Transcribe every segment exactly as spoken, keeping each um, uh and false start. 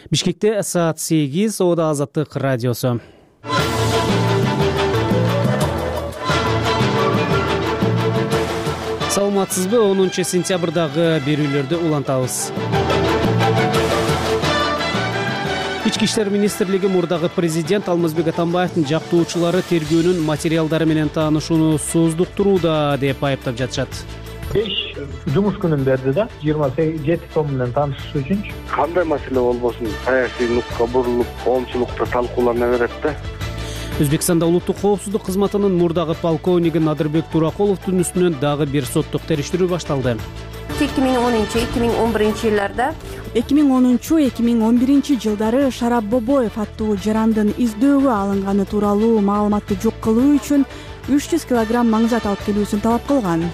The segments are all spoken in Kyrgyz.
Бишкекте саат сегиз, Ода Азаттык радиосу. Саламатсызбы? онунчу сентябрдагы берүүлөрдү улантабыз. Ички иштер министрлиги мурдагы президент Алмазбек Атамбаевдин жактоочулары тергөөнүн материалдары менен таанышууну сооздуктурууда деп айыптап жатышат. беш жумуш күнүн берди да, жыйырма жети том менен таанышыш үчүн. Кандай маселе болбосун саясий нукка бурулуп, коомчулукта талкуулана берет да. Өзбекстанда улуттук коопсуздук кызматынын мурдагы полковниги Надырбек Туракуловдун үстүнөн дагы бир соттук териштирүү башталды. эки миң онунчу эки миң он биринчи жылдарда эки миң онунчу эки миң он биринчи жылдары Шарап Бобоев аттуу жарандын издөөгө алынганы тууралуу маалыматты жок кылуу үчүн үч жүз килограмм маңзат алып келүүсүн талап кылган.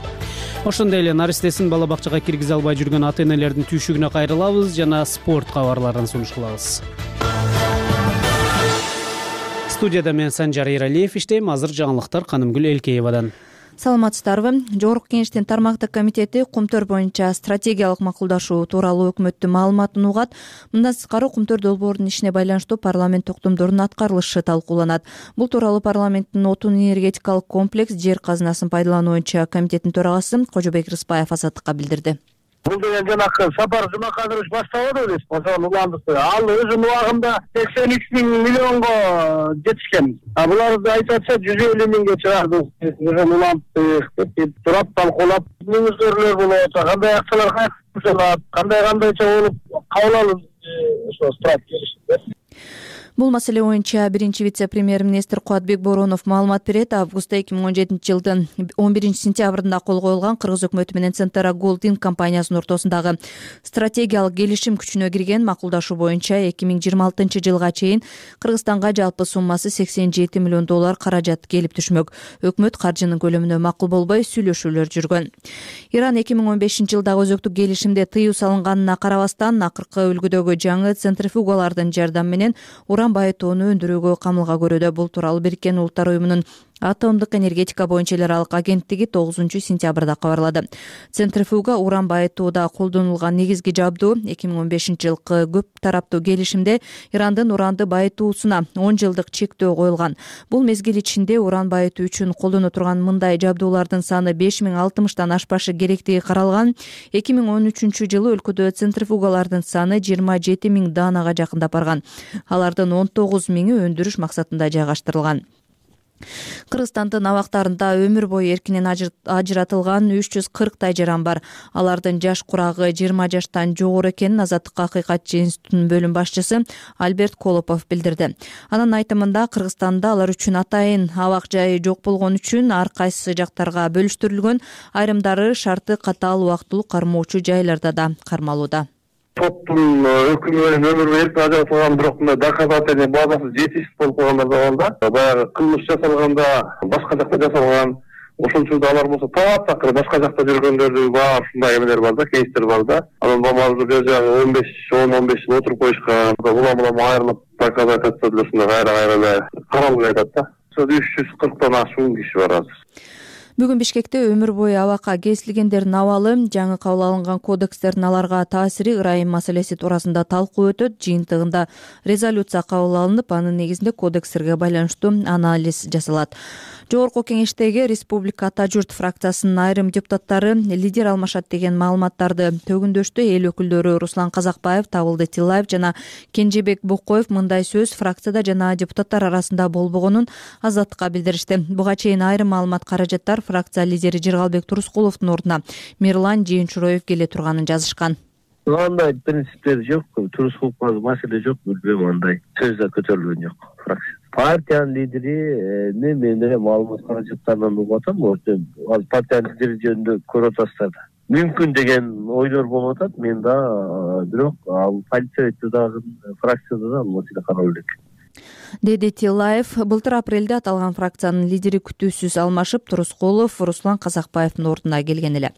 Ошондой эле наристесин бала бакчага киргизе албай жүргөн ата энелердин түйшүгүнө кайрылабыз жана спорт кабарларын сунуш кылабыз. Студияда мен Санжар Эралиев иштейм. Азыр жаңылыктар Канымгүл Элкеевадан. Саламатсыздарбы? Жогорку Кеңештин тармактык комитети Кумтөр боюнча стратегиялык макулдашуу тууралуу өкмөттүн маалыматын угат. Мындан тышкары Кумтөр долбоорунун ишине байланыштуу парламент токтомдорунун аткарылышы талкууланат. Бул тууралуу парламенттин отун энергетикалык комплекс жер казынасын пайдалануу боюнча комитеттин төрагасы Кожобек Рыспаев Азаттыкка билдирди. Бул деген жанакы Сапар Жумакадырович баштабады белесизби? Ошол уландыкты. Ал өзүнүн убагында сексен үч миң миллионго жетишкен. А буларды айтып атса жүз элүү миңге чыгарды. Ошол уландык деп турап талкуулап, мүнөздөрлөр болот, кандай акчалар кайтарылат, кандай кандайча болуп кабыл алып ошо стратегия. Бул маселе боюнча биринчи вице-премьер-министр Кубатбек Боронов маалымат берет. Августта эки миң он жетинчи жылдын он биринчи сентябрында кол коюлган Кыргыз өкмөтү менен Центра Голдинг компаниясынын ортосундагы стратегиялык келишим күчүнө кирген. Макулдашуу боюнча эки миң жыйырма алтынчы жылга чейин Кыргызстанга жалпы суммасы сексен жети миллион доллар каражат келип түшмөк. Өкмөт каржынын көлөмүнө макул болбой сүйлөшүүлөр жүргөн. Иран эки миң он бешинчи жылдагы өзөктүк келишимде тыюу салынганына карабастан акыркы үлгүдөгү жаңы центрифугалардын жардамы менен уран байытууну өндүрүүгө камылга көрүүдө. Бул тууралуу Бириккен Улуттар уюмунун атомдук энергетика боюнча эл аралык агенттиги тогузунчу сентябрда кабарлады. Центрифуга уран байытууда колдонулган негизги жабдуу. эки миң он бешинчи жылкы көп тараптуу келишимде Ирандын уранды байытуусуна он жылдык чектөө коюлган. Бул мезгил ичинде уран байытуу үчүн колдоно турган мындай жабдуулардын саны беш миң алтымыштан ашпашы керектиги каралган. эки миң он үчүнчү жылы өлкөдө центрифугалардын саны жыйырма жети миң даанага жакындап барган. Алардын он тогуз миңи өндүрүш максатында жайгаштырылган. Кыргызстандын абактарында өмүр бою эркинен ажыратылган үч жүз кырктай жаран бар. Алардын жаш курагы жыйырма жаштан жогору экенин Азаттыкка Акыйкатчы институтунун бөлүм башчысы Альберт Колопов билдирди. Анын айтымында Кыргызстанда алар үчүн атайын абак жайы жок болгон үчүн ар кайсы жактарга бөлүштүрүлгөн, айрымдары шарты катаал убактылуу кармоочу жайларда да кармалууда. Соттун өкүмү менен өмүр бою эркин ажыратылган, бирок мындай доказательный базасы жетишсиз болуп калгандар да бар да. Баягы кылмыш жасалганда башка жакта жасалган, ошон учурда алар болсо таап такыр башка жакта жүргөндөрдү бар ушундай эмелер бар да, кейстер бар да. Анан бомажы бер жагы он беш он он беш жыл отуруп коюшкан. Улам улам айрылып доказательство деле ушундай кайра кайра эле каралып жатат да. Ошо үч жүз кырктан ашуун киши бар азыр. Бүгүн Бишкекте өмүр бою абакка кесилгендердин абалы, жаңы кабыл алынган кодекстердин аларга таасири, ырайым маселеси туурасында талкуу өтөт. Жыйынтыгында резолюция кабыл алынып, анын негизинде кодекстерге байланыштуу анализ жасалат. Жогорку Кеңештеги Республика Ата журт фракциясынын айрым депутаттары лидер алмашат деген маалыматтарды төгүндөштү. Эл өкүлдөрү Руслан Казакбаев, Табылды Тилаев жана Кенжебек Бокоев мындай сөз фракцияда жана депутаттар арасында болбогонун Азаттыкка билдиришти. Буга чейин айрым маалымат каражаттар фракция лидери Жыргалбек Турускуловдун ордуна Мирлан Жыйынчуроев келе турганын жазышкан. Андай принциптер жок, Турускуловго маселе жок, билбейм, андай сөз да көтөрүлгөн жок фракция. Партиянын лидери мен менен маалымат каражаттарынан угуп атам, ал партиянын лидери жөнүндө көрүп атасыздар да. Мүмкүн деген ойлор болуп атат, мен да, бирок ал политсоветте дагы фракцияда да ал маселе каралып элек. деди Тилаев. Былтыр апрелде аталган фракциянын лидери күтүүсүз алмашып, Турускулов Руслан Казакбаевдин ордуна келген эле.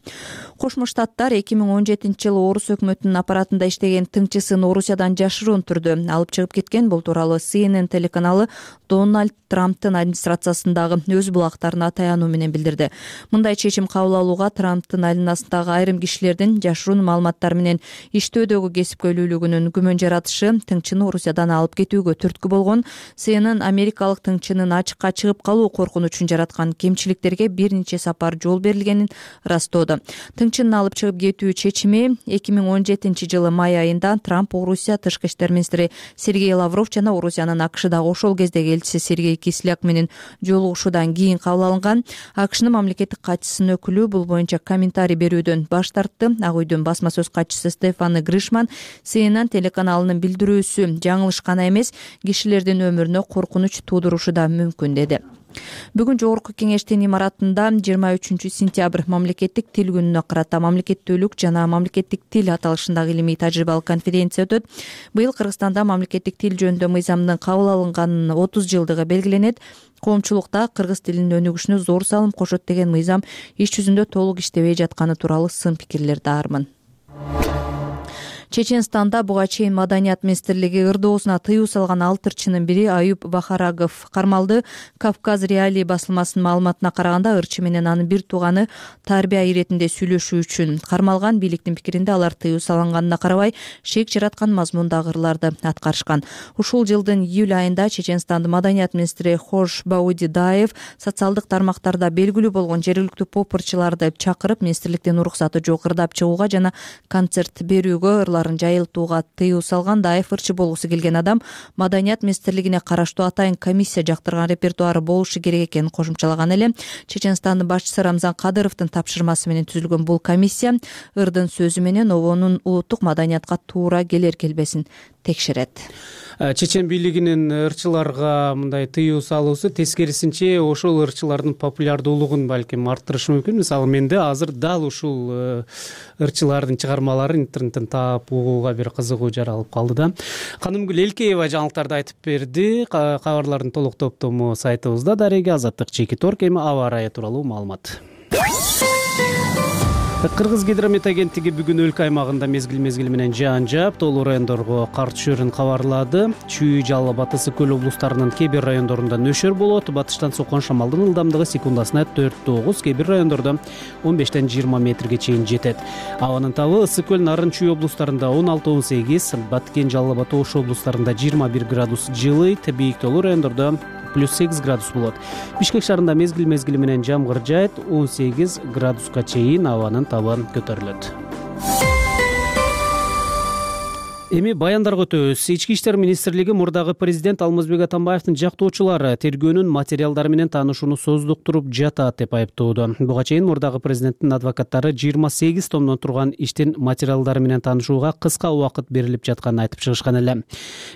Кошмо Штаттар эки миң он жетинчи жылы Орус өкмөтүнүн аппаратында иштеген тыңчысын Орусиядан жашыруун түрдө алып чыгып кеткен. Бул тууралуу Си Эн Эн телеканалы Дональд Трамптын администрациясындагы өз булактарына таянуу менен билдирди. Мындай чечим кабыл алууга Трамптын айланасындагы айрым кишилердин жашыруун маалыматтар менен иштөөдөгү кесипкөйлүүлүгүнүн күмөн жаратышы тыңчыны Орусиядан алып кетүүгө түрткү болгон. Си Эн Эн Америкалык тыңчынын ачыкка чыгып калуу коркунучун жараткан кемчиликтерге бир нече сапар жол берилгенин ырастоодо. Тыңчынын алып чыгып кетүү чечими эки миң он жетинчи жылы май айында Трамп, Орусия тышкы иштер министри Сергей Лавров жана Орусиянын АКШдагы ошол кездеги элчиси Сергей Кисляк менен жолугушуудан кийин кабыл алынган. АКШнын мамлекеттик катчысынын өкүлү бул боюнча комментарий берүүдөн баш тартты. Ак үйдүн басма сөз катчысы Стефан Гришман Си Эн Эн телеканалынын билдирүүсү жаңылыш гана эмес, кишилердин өмүрүнө коркунуч туудурушу да мүмкүн деди. Бүгүн жогорку кеңештин имаратында жыйырма үчүнчү сентябрь мамлекеттик тил күнүнө карата мамлекеттүүлүк жана мамлекеттик тил аталышындагы илимий тажрыйбалык конференция өтөт. Быйыл Кыргызстанда мамлекеттик тил жөнүндө мыйзамдын кабыл алынганынын отуз жылдыгы белгиленет. Коомчулукта кыргыз тилинин өнүгүшүнө зор салым кошот деген мыйзам иш жүзүндө толук иштебей жатканы тууралуу сын пикирлер даармын. Чеченстанда буга чейин Маданият министрлиги ырдоосуна тыюу салган алты ырчынын бири Аюп Бахарагов кармалды. Кавказ реалии басылмасынын маалыматына караганда ырчы менен анын бир тууганы тарбия иретинде сүйлөшүү үчүн кармалган. Бийликтин пикиринде алар тыюу салынганына карабай шек жараткан мазмундагы ырларды аткарышкан. Ушул жылдын июль айында Чеченстандын Маданият министри Хош Баудидаев социалдык тармактарда белгилүү болгон жергиликтүү поп-ырчыларды чакырып, министрликтин уруксаты жок ырдап чыгууга жана концерт берүүгө ырларын жайылтууга тыюу салган. Даев ырчы болгусу келген адам Маданият министрлигине караштуу атайын комиссия жактырган репертуары болушу керек экенин кошумчалаган эле. Чеченстандын башчысы Рамзан Кадыровдун тапшырмасы менен түзүлгөн бул комиссия ырдын сөзү менен обонун улуттук маданиятка туура келер келбесин текшерет. Чечен бийлигинин ырчыларга мындай тыюу салуусу тескерисинче ошол ырчылардын популярдуулугун балким арттырышы мүмкүн. Мисалы менде азыр дал ушул ырчылардын чыгармаларын интернеттен таап угууга бир кызыгуу жаралып калды да. Канымгүл Элкеева жаңылыктарды айтып берди. Кабарлардын толук топтому сайтыбызда дареги азаттык чеки торк эми аба ырайы тууралуу маалымат. Кыргыз гидромет агенттиги бүгүн өлкө аймагында мезгил-мезгили менен жаан жаап, тоолуу райондорго кар түшөрүн кабарлады. Чүй, Жалал, Батыс Көл облустарынын кээ бир райондорунда нөшөр болот. Батыштан соккон шамалдын ылдамдыгы секундасына төрт тогуз, кээ бир райондордо он бештен жыйырма метрге чейин жетет. Абанын табы Ысык Көл, Нарын, Чүй облустарында он алты он сегиз, Баткен, Жалал Абад, Ош облустарында жыйырма бир градус жылыйт, бийик тоолуу райондордо плюс сегиз градус болот. Бишкек шаарында мезгил-мезгили менен жамгыр жаайт, он сегиз градуска чейин абанын табы көтөрүлөт. Эми баяндарга өтөбүз. Ички иштер министрлиги мурдагы президент Алмазбек Атамбаевдин жактоочулары тергөөнүн материалдары менен таанышууну создуктуруп жатат деп айыптоодо. Буга чейин мурдагы президенттин адвокаттары жыйырма сегиз томдон турган иштин материалдары менен таанышууга кыска убакыт берилип жатканын айтып чыгышкан эле.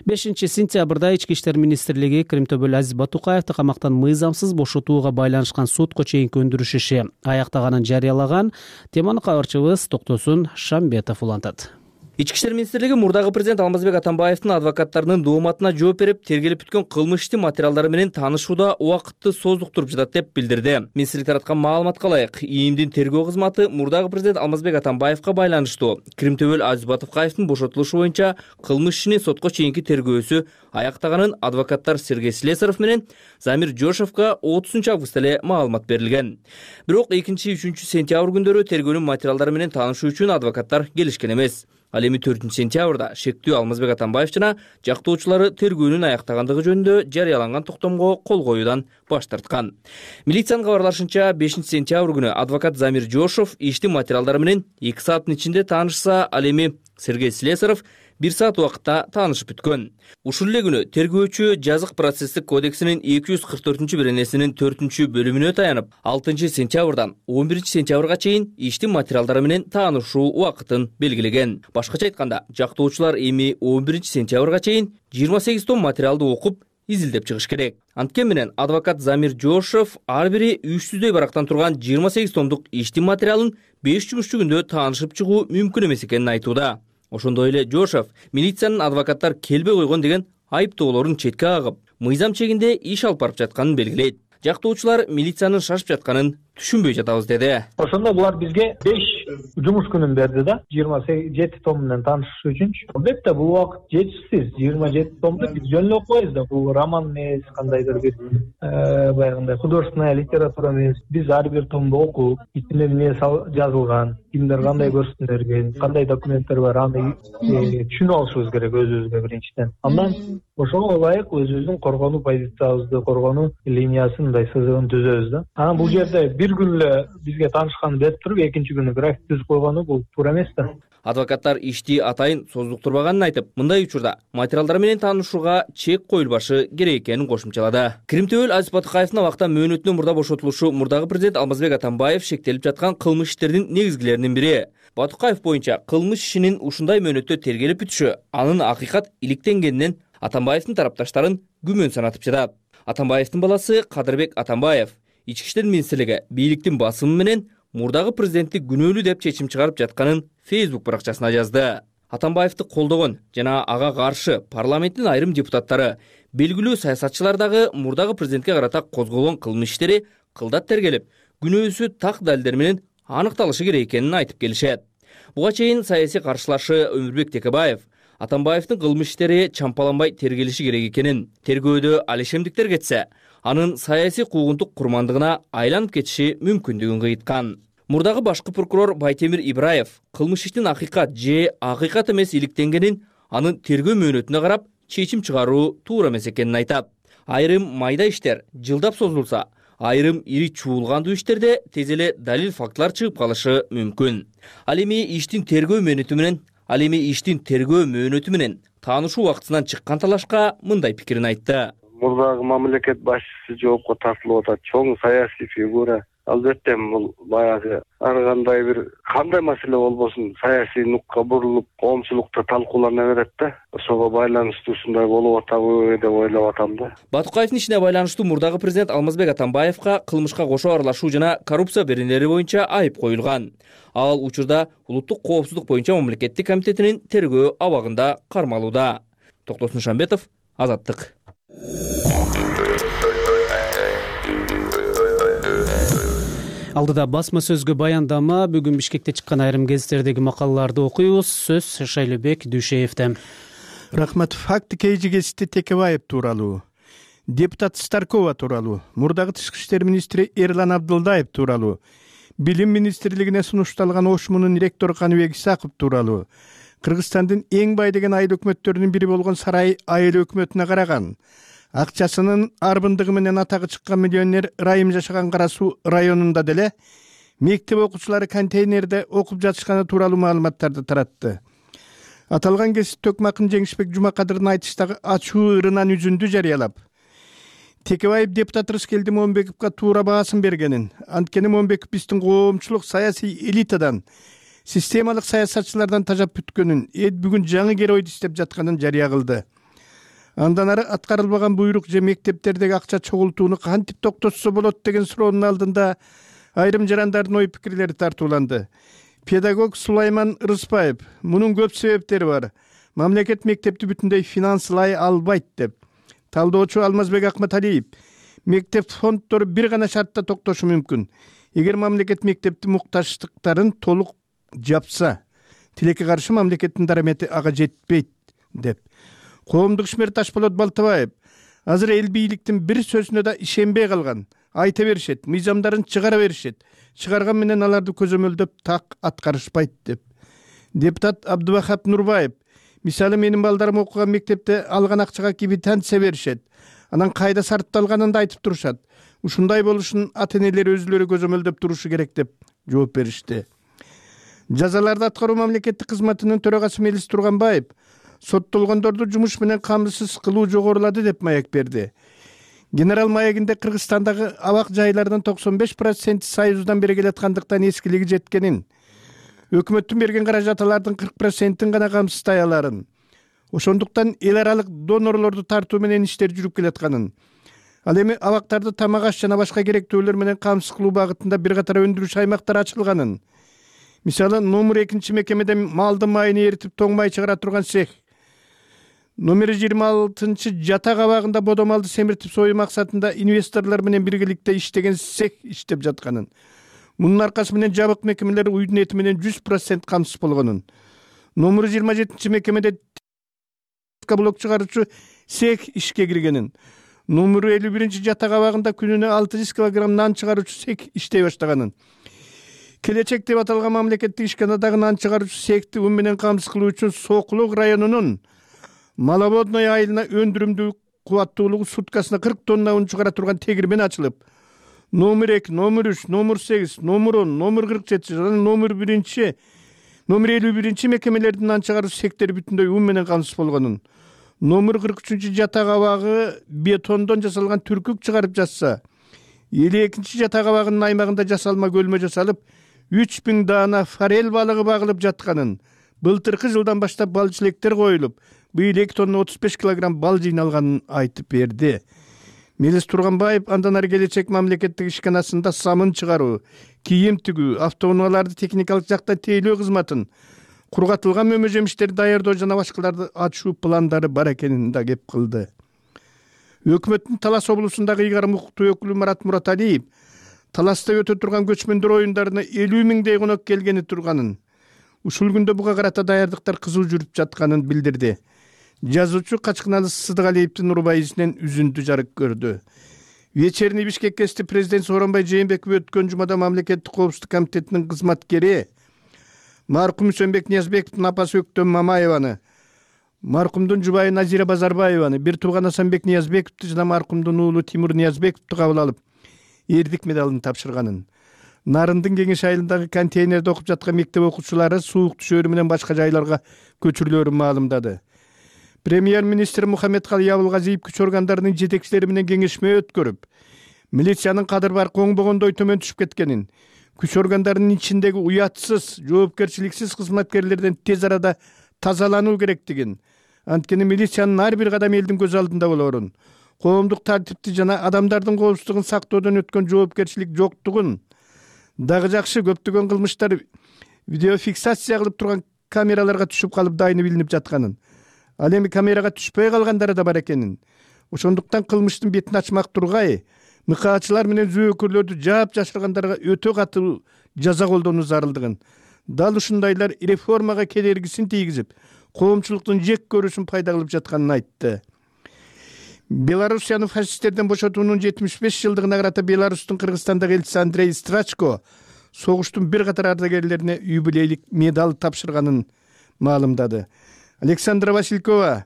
бешинчи сентябрда Ички иштер министрлиги Кримтөбөл Азиз Батукаевди камактан мыйзамсыз бошотууга байланышкан сотко чейинки өндүрүш иши аяктаганын жарыялаган. Теманы кабарчыбыз Токтосун Шамбетов улантат. Ички иштер министрлиги мурдагы президент Алмазбек Атамбаевдин адвокаттарынын дооматына жооп берип, тергелип бүткөн кылмыш ишти материалдары менен таанышууда убакытты создуктуруп жатат деп билдирди. Министрлик тараткан маалыматка ылайык, ИИМдин тергөө кызматы мурдагы президент Алмазбек Атамбаевга байланыштуу Кримтөбөл Азиз Батукаевдин бошотулушу боюнча кылмыш ишини сотко чейинки тергөөсү аяктаганын адвокаттар Сергей Слесаров менен Замир Жошевго отузунчу августта эле маалымат берилген. Бирок экинчи үчүнчү сентябрь күндөрү тергөөнүн материалдары менен таанышуу үчүн адвокаттар келишкен эмес. Ал эми төртүнчү сентябрда шектүү Алмазбек Атамбаев жана жактоочулары тергөөнүн аяктагандыгы жөнүндө жарыяланган токтомго кол коюудан баш тарткан. Милициянын кабарлашынча, бешинчи сентябрь күнү адвокат Замир Жошев иштин материалдары менен эки сааттын ичинде таанышса, ал эми Сергей Слесаров бир саат убакытта таанышып бүткөн. Ушул эле күнү тергөөчү жазык процесстик кодексинин эки жүз кырк төртүнчү беренесинин төртүнчү бөлүмүнө таянып, алтынчы сентябрдан он биринчи сентябрга чейин иштин материалдары менен таанышуу убакытын белгилеген. Башкача айтканда, жактоочулар эми он биринчи сентябрга чейин жыйырма сегиз том материалды окуп, изилдеп чыгыш керек. Анткени менен адвокат Замир Жошев ар бири үч жүздөй барактан турган жыйырма сегиз томдук иштин материалын беш жумушчу күндө таанышып чыгуу мүмкүн эмес экенин айтууда. Ошондой эле Жошев милициянын адвокаттар келбей койгон деген айыптоолорун четке кагып, мыйзам чегинде иш алып барып жатканын белгилейт. Жактоочулар милициянын шашып жатканын түшүнбөй жатабыз деди. Ошондо булар бизге беш жумуш күнүн берди да, жыйырма жети том менен таанышыш үчүнчү. Албетте бул убакыт жетишсиз. жыйырма жети томду биз жөн эле окубайбыз да. Бул роман эмес, кандайдыр бир баягындай художественная литература эмес. Биз ар бир томду окуп, ичинде эмне жазылган, кимдер кандай көрсөтмө берген, кандай документтер бар, аны түшүнүп алышыбыз керек өзүбүзгө биринчиден. Андан ошого ылайык өзүбүздүн коргонуу позициябызды, коргонуу линиясын, мындай сызыгын түзөбүз да. Анан бул жерде бир күн эле бизге таанышканын берип туруп, экинчи күнү график түзүп койгону бул туура эмес да. Адвокаттар ишти атайын создуктурбаганын айтып, мындай учурда материалдар менен таанышууга чек коюлбашы керек экенин кошумчалады. Киримтөбөл Азиз Батыкаевдин абакта мөөнөтүнөн мурда бошотулушу мурдагы президент Алмазбек Атамбаев шектелип жаткан кылмыш иштердин негизгилеринин бири. Батыкаев боюнча кылмыш ишинин ушундай мөөнөттө тергелип бүтүшү анын акыйкат иликтенгенинен Атамбаевдин тарапташтарын күмөн санатып жатат. Атамбаевдин баласы Кадырбек Атамбаев Ички иштер министрлиги бийликтин басымы менен мурдагы президентти күнөөлүү деп чечим чыгарып жатканын Facebook баракчасына жазды. Атамбаевди колдогон жана ага каршы парламенттин айрым депутаттары, белгилүү саясатчылар дагы мурдагы президентке карата козголгон кылмыш иштери кылдат тергелип, күнөөсү так далилдер менен аныкталышы керек экенин айтып келишет. Буга чейин саясий каршылашы Өмүрбек Текебаев Атамбаевдин кылмыш иштери чампаланбай тергелиши керек экенин, тергөөдө алишемдиктер кетсе, анын саясий куугунтук курмандыгына айланып кетиши мүмкүндүгүн кыйткан. Мурдагы башкы прокурор Байтемир Ибраев кылмыш иштин акыйкат же акыйкат эмес иликтенгенин анын тергөө мөөнөтүнө карап чечим чыгаруу туура эмес экенин айтат. Айрым майда иштер жылдап созулса, айрым ири чуулгандуу иштерде тез эле далил фактылар чыгып калышы мүмкүн. Ал эми иштин тергөө мөөнөтү менен, ал эми иштин тергөө мөөнөтү менен таанышуу убактысынан чыккан талашка мындай пикирин айтты. Мурдагы мамлекет башчысы жоопко тартылып атат, чоң саясий фигура. Албетте бул баягы ар кандай бир кандай маселе болбосун саясий нукка бурулуп, коомчулукта талкуулана берет да. Ошого байланыштуу ушундай болуп атабы деп ойлоп атам да. Батыкаевдин ишине байланыштуу мурдагы президент Алмазбек Атамбаевка кылмышка кошо аралашуу жана коррупция беренелери боюнча айып коюлган. Ал учурда улуттук коопсуздук боюнча мамлекеттик комитетинин тергөө абагында кармалууда. Токтосун Шамбетов, Азаттык. Алдыда басма сөзгө баяндама, бүгүн Бишкекте чыккан айрым гезиттердеги макалаларды окуйбуз. Сөз Шайлебек Дүйшеевден. Рахмат. Факты кейжи гезити Текебаев тууралуу, депутат Старкова тууралуу, мурдагы тышкы иштер министри Эрлан Абдылдаев тууралуу, билим министрлигине сунушталган Ошмунун ректору Каныбек Исаков тууралуу, Кыргызстандын эң бай деген айыл өкмөттөрүнүн бири болгон Сарай айыл өкмөтүнө караган, акчасынын арбындыгы менен атагы чыккан миллионер Райым жашаган Кара Суу районунда деле мектеп окуучулары контейнерде окуп жатышканы тууралуу маалыматтарды таратты. Аталган гезит Төкмакын Жеңишбек Жумакадырдын айтыштагы ачуу ырынан үзүндү жарыялап, Текебаев депутат Рыскелди Момбековго туура баасын бергенин, анткени Момбеков биздин коомчулук саясий элитадан, системалык саясатчылардан тажап бүткөнүн, эд бүгүн жаңы кер ойду иштеп жатканын жарыя кылды. Андан ары аткарылбаган буйрук же мектептердеги акча чогултууну кантип токтотсо болот деген суроонун алдында айрым жарандардын ой пикирлери тартууланды. Педагог Сулайман Рыспаев: мунун көп себептери бар. Мамлекет мектепти бүтүндөй финанслай албайт деп. Талдоочу Алмазбек Акматалиев: мектеп фонддору бир гана шартта токтошу мүмкүн. Эгер мамлекет мектепти муктаждыктарын толук жапса, тилекке каршы мамлекеттин дарамети ага жетпейт деп. Коомдук ишмер Ташболот Балтабаев: азыр эл бийликтин бир сөзүнө да ишенбей калган. Айта беришет, мыйзамдарын чыгара беришет. Чыгарган менен аларды көзөмөлдөп так аткарышпайт деп. Депутат Абдубахап Нурбаев: мисалы менин балдарым окуган мектепте алган акчага квитанция беришет. Анан кайда сарпталганын да айтып турушат. Ушундай болушун ата-энелер өзүлөрү көзөмөлдөп турушу керек деп жооп беришти. Жазаларды аткаруу мамлекеттик кызматынын төрагасы Мелис Турганбаев: соттолгондорду жумуш менен камсыз кылуу жогорулады деп маек берди. Генерал маегинде Кыргызстандагы абак жайлардын токсон беш проценти Союздан бери келаткандыктан эскилиги жеткенин, өкмөттүн берген каражаттардын кырк процентин гана камсыздай аларын, ошондуктан эл аралык донорлорду тартуу менен иштер жүрүп келатканын, ал эми абактарды тамак аш жана башка керектүүлөр менен камсыз кылуу багытында бир катар өндүрүш аймактар ачылганын, мисалы номер экинчи мекемеде малдын майын эритип тоң май чыгара турган цех, номер жыйырма алтынчы жатак абагында бодо малды семиртип союу максатында инвесторлор менен биргеликте иштеген цех иштеп жатканын, мунун аркасы менен жабык мекемелер уйдун эти менен жүз процент камсыз болгонун, номер жыйырма жетинчи мекемеде блок чыгаруучу цех ишке киргенин, номер элүү биринчи жатак абагында күнүнө алты жүз килограмм нан чыгаруучу цех иштей баштаганын, келечек деп аталган мамлекеттик ишканадагы нан чыгаруучу цехти ун менен камсыз кылуу үчүн Сокулук районунун Маловодной айылына өндүрүмдүү кубаттуулугу суткасына кырк тонна un чыгара турган тегирмен ачылып, номер эки, номер үч, номер сегиз, номер он, номер кырк жети жана номер биринчи, номер элүү биринчи мекемелердин нан чыгаруучу цехтери бүтүндөй un менен камсыз болгонун, номер кырк үчүнчү жатак абагы бетондон жасалган түркүк чыгарып жатса, элүү экинчи жатак абагынын аймагында жасалма көлмө жасалып, үч миң даана форель балыгы багылып жатканын, былтыркы жылдан баштап бал жилектер коюлуп, быйыл эки тонна отуз беш килограмм бал жыйналганын айтып берди. Мелис Турганбаев андан ары келечек мамлекеттик ишканасында самын чыгаруу, кийим тигүү, автоунааларды техникалык жактан тейлөө кызматын, кургатылган мөмө жемиштерди даярдоо жана башкаларды ачуу пландары бар экенин да кеп кылды. Өкмөттүн Талас облусундагы ыйгарым укуктуу өкүлү Марат Мураталиев Таласта өтө турган көчмөндөр оюндарына элүү миңдей конок келгени турганын, ушул күндө буга карата даярдыктар кызуу жүрүп жатканын билдирди. Жазуучу Качкыналы Сыдыгалиевдин урбайысынан үзүндү жарык көрдү. Вечерний Бишкек кести президент Сооронбай Жээнбеков өткөн жумада мамлекеттик коопсуздук комитетинин кызматкери маркум Үсөнбек Ниязбековдун апасы Өктөм Мамаеваны, маркумдун жубайы Назира Базарбаеваны, бир тууган Асанбек Ниязбековду жана маркумдун уулу Тимур Ниязбековду кабыл алып, эрдик медалын тапшырганын. Нарындын Кеңеш айылындагы контейнерде окуп жаткан мектеп окуучулары суук түшөөрү менен башка жайларга көчүрүлөөрүн маалымдады. Премьер-министр Мухаммедкалый Абылгазиев күч органдарынын жетекчилери менен кеңешме өткөрүп, милициянын кадыр бар коңбогондой төмөн түшүп кеткенин, күч органдарынын ичиндеги уятсыз, жоопкерчиликсиз кызматкерлерден тез арада тазалануу керектигин, анткени милициянын ар бир кадам элдин көз алдында болоорун, коомдук тартипти жана адамдардын коопсуздугун сактоодон өткөн жоопкерчилик жоктугун, дагы жакшы көптөгөн кылмыштар видеофиксация кылып турган камераларга түшүп калып дайыны билинип жатканын, ал эми камерага түшпөй калгандары да бар экенин, ошондуктан кылмыштын бетин ачмак тургай, мыкаачылар менен зөөкөрлөрдү жаап жашыргандарга өтө катуу жаза колдонуу зарылдыгын, дал ушундайлар реформага кедергисин тийгизип, коомчулуктун жек көрүүсүн пайда кылып жатканын айтты. Белоруссияны фашисттерден бошотуунун жетимиш беш жылдыгына карата Беларустун Кыргызстандагы элчиси Андрей Страчко согуштун бир катар ардагерлерине юбилейлик медаль тапшырганын маалымдады. Александра Василькова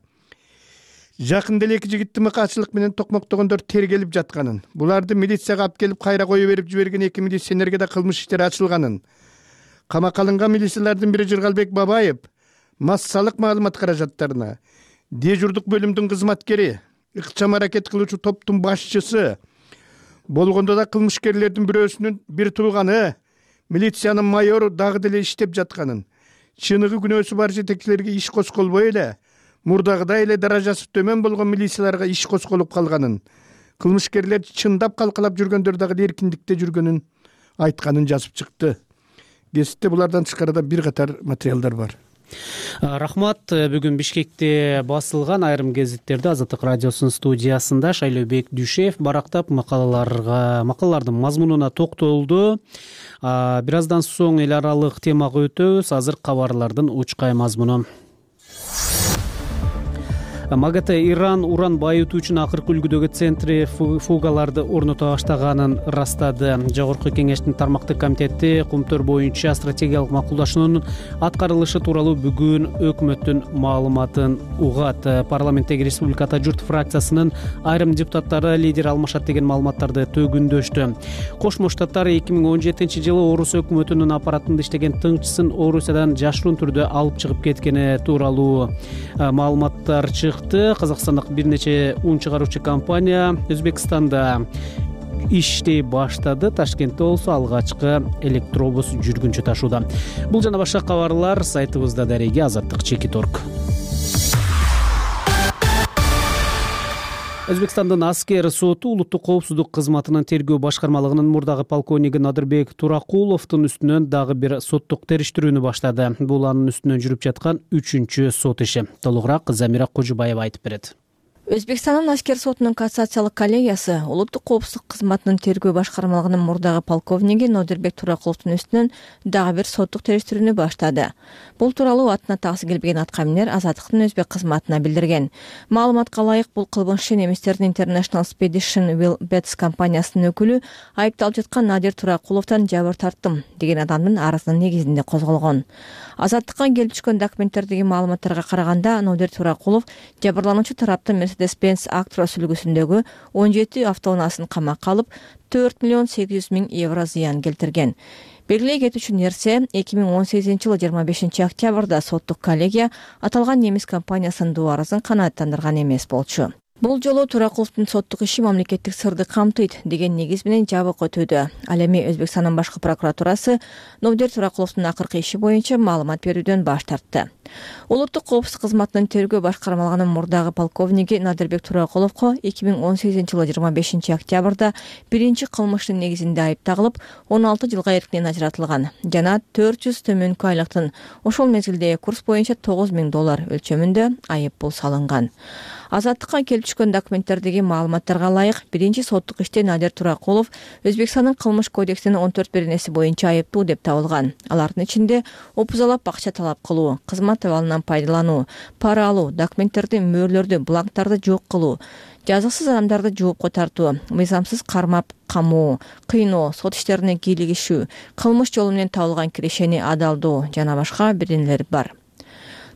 жакында эле эки жигитти мыкаачылык менен токмоктогондор тергелип жатканын, буларды милицияга алып келип кайра кое берип жиберген эки милиционерге да кылмыш иштери ачылганын, камакка алынган милициялардын бири Жыргалбек Бабаев массалык маалымат каражаттарына, дежурдук бөлүмдүн кызматкери, ыкчам аракет кылуучу топтун башчысы болгондо да кылмышкерлердин бирөөсүнүн бир тууганы, милициянын майору дагы деле иштеп жатканын, чыныгы күнөөсү бар жетекчилерге иш косколбой эле мурдагыдай эле даражасы төмөн болгон милицияларга иш косколуп калганын, кылмышкерлер чындап калкалап жүргөндөр дагы эркиндикте жүргөнүн айтканын жазып чыкты. Гезитте булардан тышкары да бир катар материалдар бар. Рахмат. Бүгүн Бишкекте басылган айрым гезиттерди Азаттык радиосунун студиясында Шайлообек Дүйшев барактап макалаларга, макалалардын мазмунуна токтолду. Бир аздан соң эл аралык темага өтөбүз. Азыр кабарлардын учкай мазмуну. МАГАТЭ Иран уран байытуучунун акыркы үлгүдөгү центрифугаларды орното баштаганын ырастады. Жогорку кеңештин тармактык комитети Кумтөр боюнча стратегиялык макулдашуунун аткарылышы тууралуу бүгүн өкмөттүн маалыматын угат. Парламенттеги Республика Ата журт фракциясынын айрым депутаттары лидер алмашат деген маалыматтарды төгүндөштү. Кошмо Штаттар эки миң он жетинчи жылы Орус өкмөтүнүн аппаратында иштеген тыңчысын Орусиядан жашыруун түрдө алып чыгып кеткени тууралуу маалыматтар чыкты. Казакстандык бир нече un чыгаруучу компания Өзбекстанда иштей баштады. Ташкентте болсо алгачкы электробус жүргүнчү ташууда. Бул жана башка кабарлар сайтыбызда дареги азаттык чекит точка орг. Өзбекстандын аскер соту улуттук коопсуздук кызматынын тергөө башкармалыгынын мурдагы полковниги Надырбек Туракуловдун үстүнөн дагы бир соттук териштирүүнү баштады. Бул анын үстүнөн жүрүп жаткан үчүнчү сот иши. Толугураак Замира Кожубаева айтып берет. Өзбекстандын аскер сотунун кассациялык коллегиясы улуттук коопсуздук кызматынын тергөө башкармалыгынын мурдагы полковниги Надырбек Туракуловдун үстүнөн дагы бир соттук териштирүүнү баштады. Бул тууралуу атына таксы келбеген аткаминер Азаттыктын өзбек кызматына билдирген. Маалыматка ылайык, бул кылмыш иши немистердин International Spedition Will Bets компаниясынын өкүлү айыпталып жаткан Надир Туракуловдон жабыр тарттым деген адамдын арызынын негизинде козголгон. Азаттыкка келип түшкөн документтердеги маалыматтарга караганда Надир Туракулов жабырлануучу тараптын Mercedes-Benz Actros үлгүсүндөгү он жети автоунаасын камакка алып, төрт миллион сегиз жүз миң евро зыян келтирген. Белгилей кетүүчү нерсе, эки миң он сегизинчи жылы жыйырма бешинчи октябрда соттук коллегия аталган немис компаниясынын дуарызын канааттандырган эмес болчу. Бул жолу Туракуловдун соттук иши мамлекеттик сырды камтыйт деген негиз менен жабык өтүүдө. Ал эми Өзбекстандын башкы прокуратурасы Надир Туракуловдун акыркы иши боюнча маалымат берүүдөн баш тартты. Улуттук коопсуздук кызматынын тергөө башкармалыгынын мурдагы полковниги Надырбек Туракуловго эки миң он сегизинчи жылы жыйырма бешинчи октябрда биринчи кылмыштын негизинде айып тагылып, он алты жылга эркинен ажыратылган жана төрт жүз төмөнкү айлыктын ошол мезгилдеги курс боюнча тогуз миң доллар өлчөмүндө айып пул салынган. Азаттыкка келип түшкөн документтердеги маалыматтарга ылайык, биринчи соттук иште Надир Туракулов Өзбекстандын кылмыш кодексинин он төрт беренеси боюнча айыптуу деп табылган. Алардын ичинде опузалап акча талап кылуу, кызмат абалынан пайдалануу, пара алуу, документтерди, мөөрлөрдү, бланктарды жок кылуу, жазыксыз адамдарды жоопко тартуу, мыйзамсыз кармап камоо, кыйноо, сот иштерине кийлигишүү, кылмыш жолу менен табылган кирешени адалдоо жана башка бирденелер бар.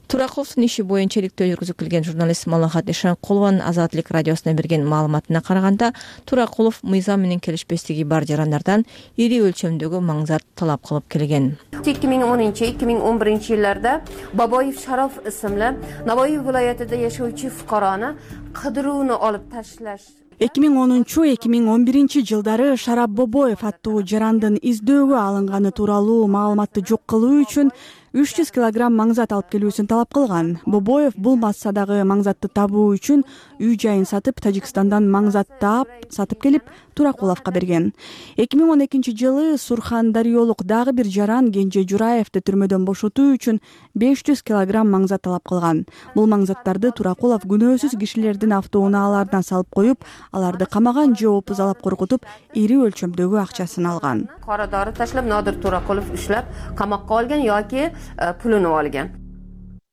Туракуловдун иши боюнча иликтөө жүргүзүп келген журналист Малахат Ишанкулованын Азаттык радиосуна берген маалыматына караганда, Туракулов мыйзам менен келишпестиги бар жарандардан ири өлчөмдөгү маңзат талап кылып келген. эки миң онунчу эки миң он биринчи жылдарда Бабоев Шароф исмli Navoiy viloyatida yashovchi fuqaroni qidiruvni olib tashlash эки миң онунчу эки миң он биринчи жылдары Шарап Бобоев аттуу жарандын издөөгө алынганы тууралуу маалыматты жок кылуу үчүн үч жүз килограмм маңзат алып келүүсүн талап кылган. Бобоев бул массадагы маңзатты табуу үчүн үй жайын сатып, Тажикстандан маңзат таап, сатып келип, Туракуловго берген. эки миң он экинчи жылы Сурхандариолук дагы бир жаран Кенже Жураевди түрмөдөн бошотуу үчүн беш жүз килограмм маңзат талап кылган. Бул маңзаттарды Туракулов күнөөсүз кишилердин автоунааларына салып коюп, аларды камаган же опузалап коркутуп, ири өлчөмдөгү акчасын алган. Qora dori tashlab Nodir Turaqulov ushlab qamoqqa olgan yoki pulini olgan.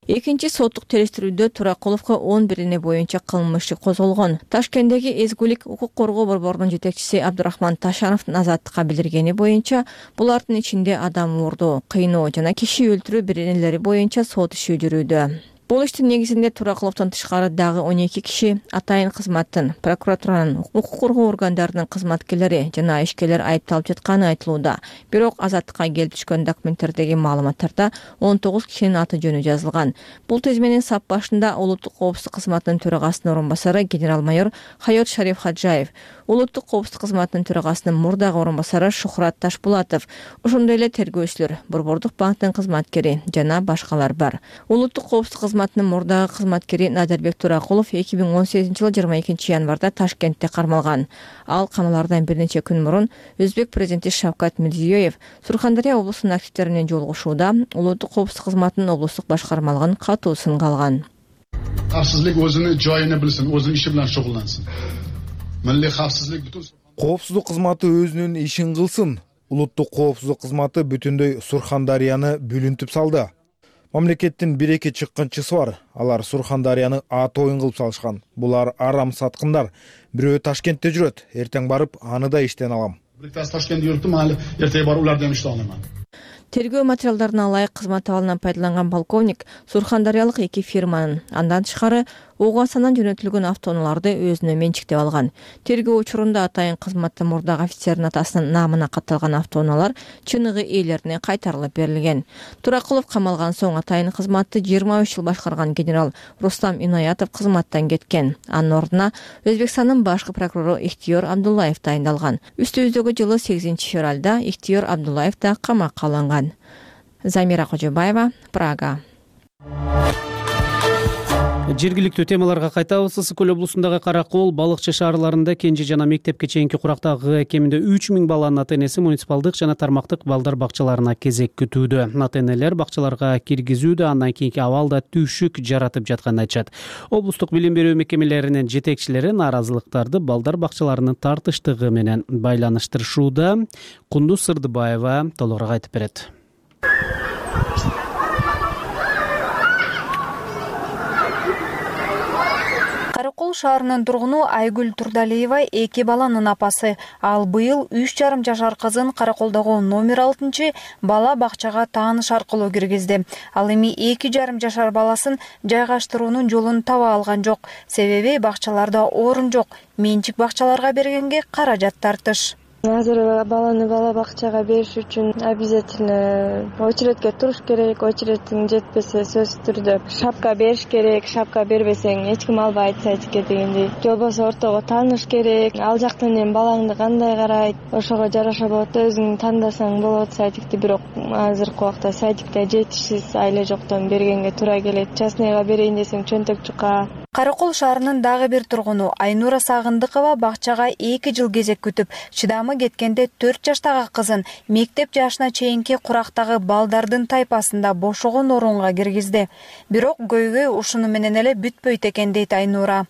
Экинчи соттук териштирүүдө Туракуловго он бирине боюнча кылмыш иши козголгон. Ташкенттеги Эзгулик укук коргоо борборунун жетекчиси Абдурахман Ташановдун Азаттыкка билдиргени боюнча, булардын ичинде адам уурдоо, кыйноо жана киши өлтүрүү биренелери боюнча сот иши жүрүүдө. Бул иштин негизинде Туракуловдон тышкары дагы он эки киши атайын кызматтын, прокуратуранын, укук коргоо органдарынын кызматкерлери жана ишкерлер айыпталып жатканы айтылууда. Бирок Азаттыкка келип түшкөн документтердеги маалыматтарда он тогуз кишинин аты жөнү жазылган. Бул тизменин сап башында улуттук коопсуздук кызматынын төрагасынын орун басары генерал-майор Хайот Шариф Хаджаев, улуттук коопсуздук кызматынын төрагасынын мурдагы орун басары Шухрат Ташбулатов, ошондой эле тергөөчүлөр, Борбордук банктын кызматкери жана башкалар бар. Улуттук коопсуздук кызматынын мурдагы кызматкери Надырбек Туракулов эки миң он сегизинчи жылы жыйырма экинчи январда Ташкентте кармалган. Ал камалардан бир нече күн мурун Өзбек президенти Шавкат Мирзиёев Сурхандария облусунун активдери менен жолугушууда улуттук коопсуздук кызматынын облустук башкармалыгынын катуусын калган. Xavfsizlik o'zini joyini bilsin, o'zini ishi bilan shug'ullansin. Milliy xavfsizlik butun коопсуздук кызматы өзүнүн ишин кылсын. Улуттук коопсуздук кызматы бүтүндөй Сурхандарияны бүлүнтүп салды. Мамлекеттин бир-эки чыккынчысы бар. Алар Сурхандарияны ат оюн кылып салышкан. Булар арам саткындар. Бирөө Ташкентте жүрөт. Эртең барып, аны да иштен алам. Биктас Ташкентте жүрүптүм, али эртең барып улардан иште аламан. Тергөө материалдарына ылайык кызмат абалынан пайдаланган полковник Сурхандариялык эки фирманын, андан тышкары Оогасандан жөнөтүлгөн автоунааларды өзүнө менчиктеп алган. Тергөө учурунда атайын кызматта мурдагы офицердин атасынын наамына катталган автоунаалар чыныгы ээлерине кайтарылып берилген. Туракулов камалган соң атайын кызматты жыйырма үч жыл башкарган генерал Рустам Инаятов кызматтан кеткен. Анын ордуна Өзбекстандын башкы прокурору Ихтиёр Абдуллаев дайындалган. Үстүбүздөгү жылы сегизинчи февралда Ихтиёр Абдуллаев да камакка алынган. Замира Кожубаева, Прага. Жергиликтүү темаларга кайтабыз. Ысык көл облусундагы Каракол, Балыкчы шаарларында кенже жана мектепке чейинки курактагы кеминде үч миң баланын ата-энеси муниципалдык жана тармактык балдар бакчаларына кезек күтүүдө. Ата-энелер бакчаларга киргизүүдө андан кийинки абалда түшүк жаратып жатканын айтышат. Облустук билим берүү мекемелеринин жетекчилери нааразылыктарды балдар бакчаларынын тартыштыгы менен байланыштырышууда. Кундуз Сырдыбаева толугураак айтып берет. Каракол шаарынын тургуну Айгүл Турдалиева эки баланын апасы. Ал быйыл үч жарым жашар кызын Караколдогу номер алтынчы бала бакчага тааныш аркылуу киргизди. Ал эми эки жарым жашар баласын жайгаштыруунун жолун таба алган жок. Себеби бакчаларда орун жок. Менчик бакчаларга бергенге каражат тартыш. Азыр баланы бала бакчага бериш үчүн обязательно очередке туруш керек. Очередиң жетпесе сөзсүз түрдө шапка бериш керек. Шапка бербесең эч ким албайт садикке дегендей. Же болбосо ортого тааныш керек. Ал жактан эми балаңды кандай карайт, ошого жараша болот, өзүң тандасаң болот садикти. Бирок азыркы убакта садикте жетишсиз айле жоктон бергенге туура келет. Частныйга берейин десең чөнтөк жука. Каракол шаарынын дагы бир тургуну Айнура Сагындыкова бакчага эки жыл кезек күтүп, чыдамы кеткенде төрт жаштагы кызын мектеп жашына чейинки курактагы балдардын тайпасында бошогон орунга киргизди. Бирок көйгөй ушуну менен эле бүтпөйт экен дейт Айнура.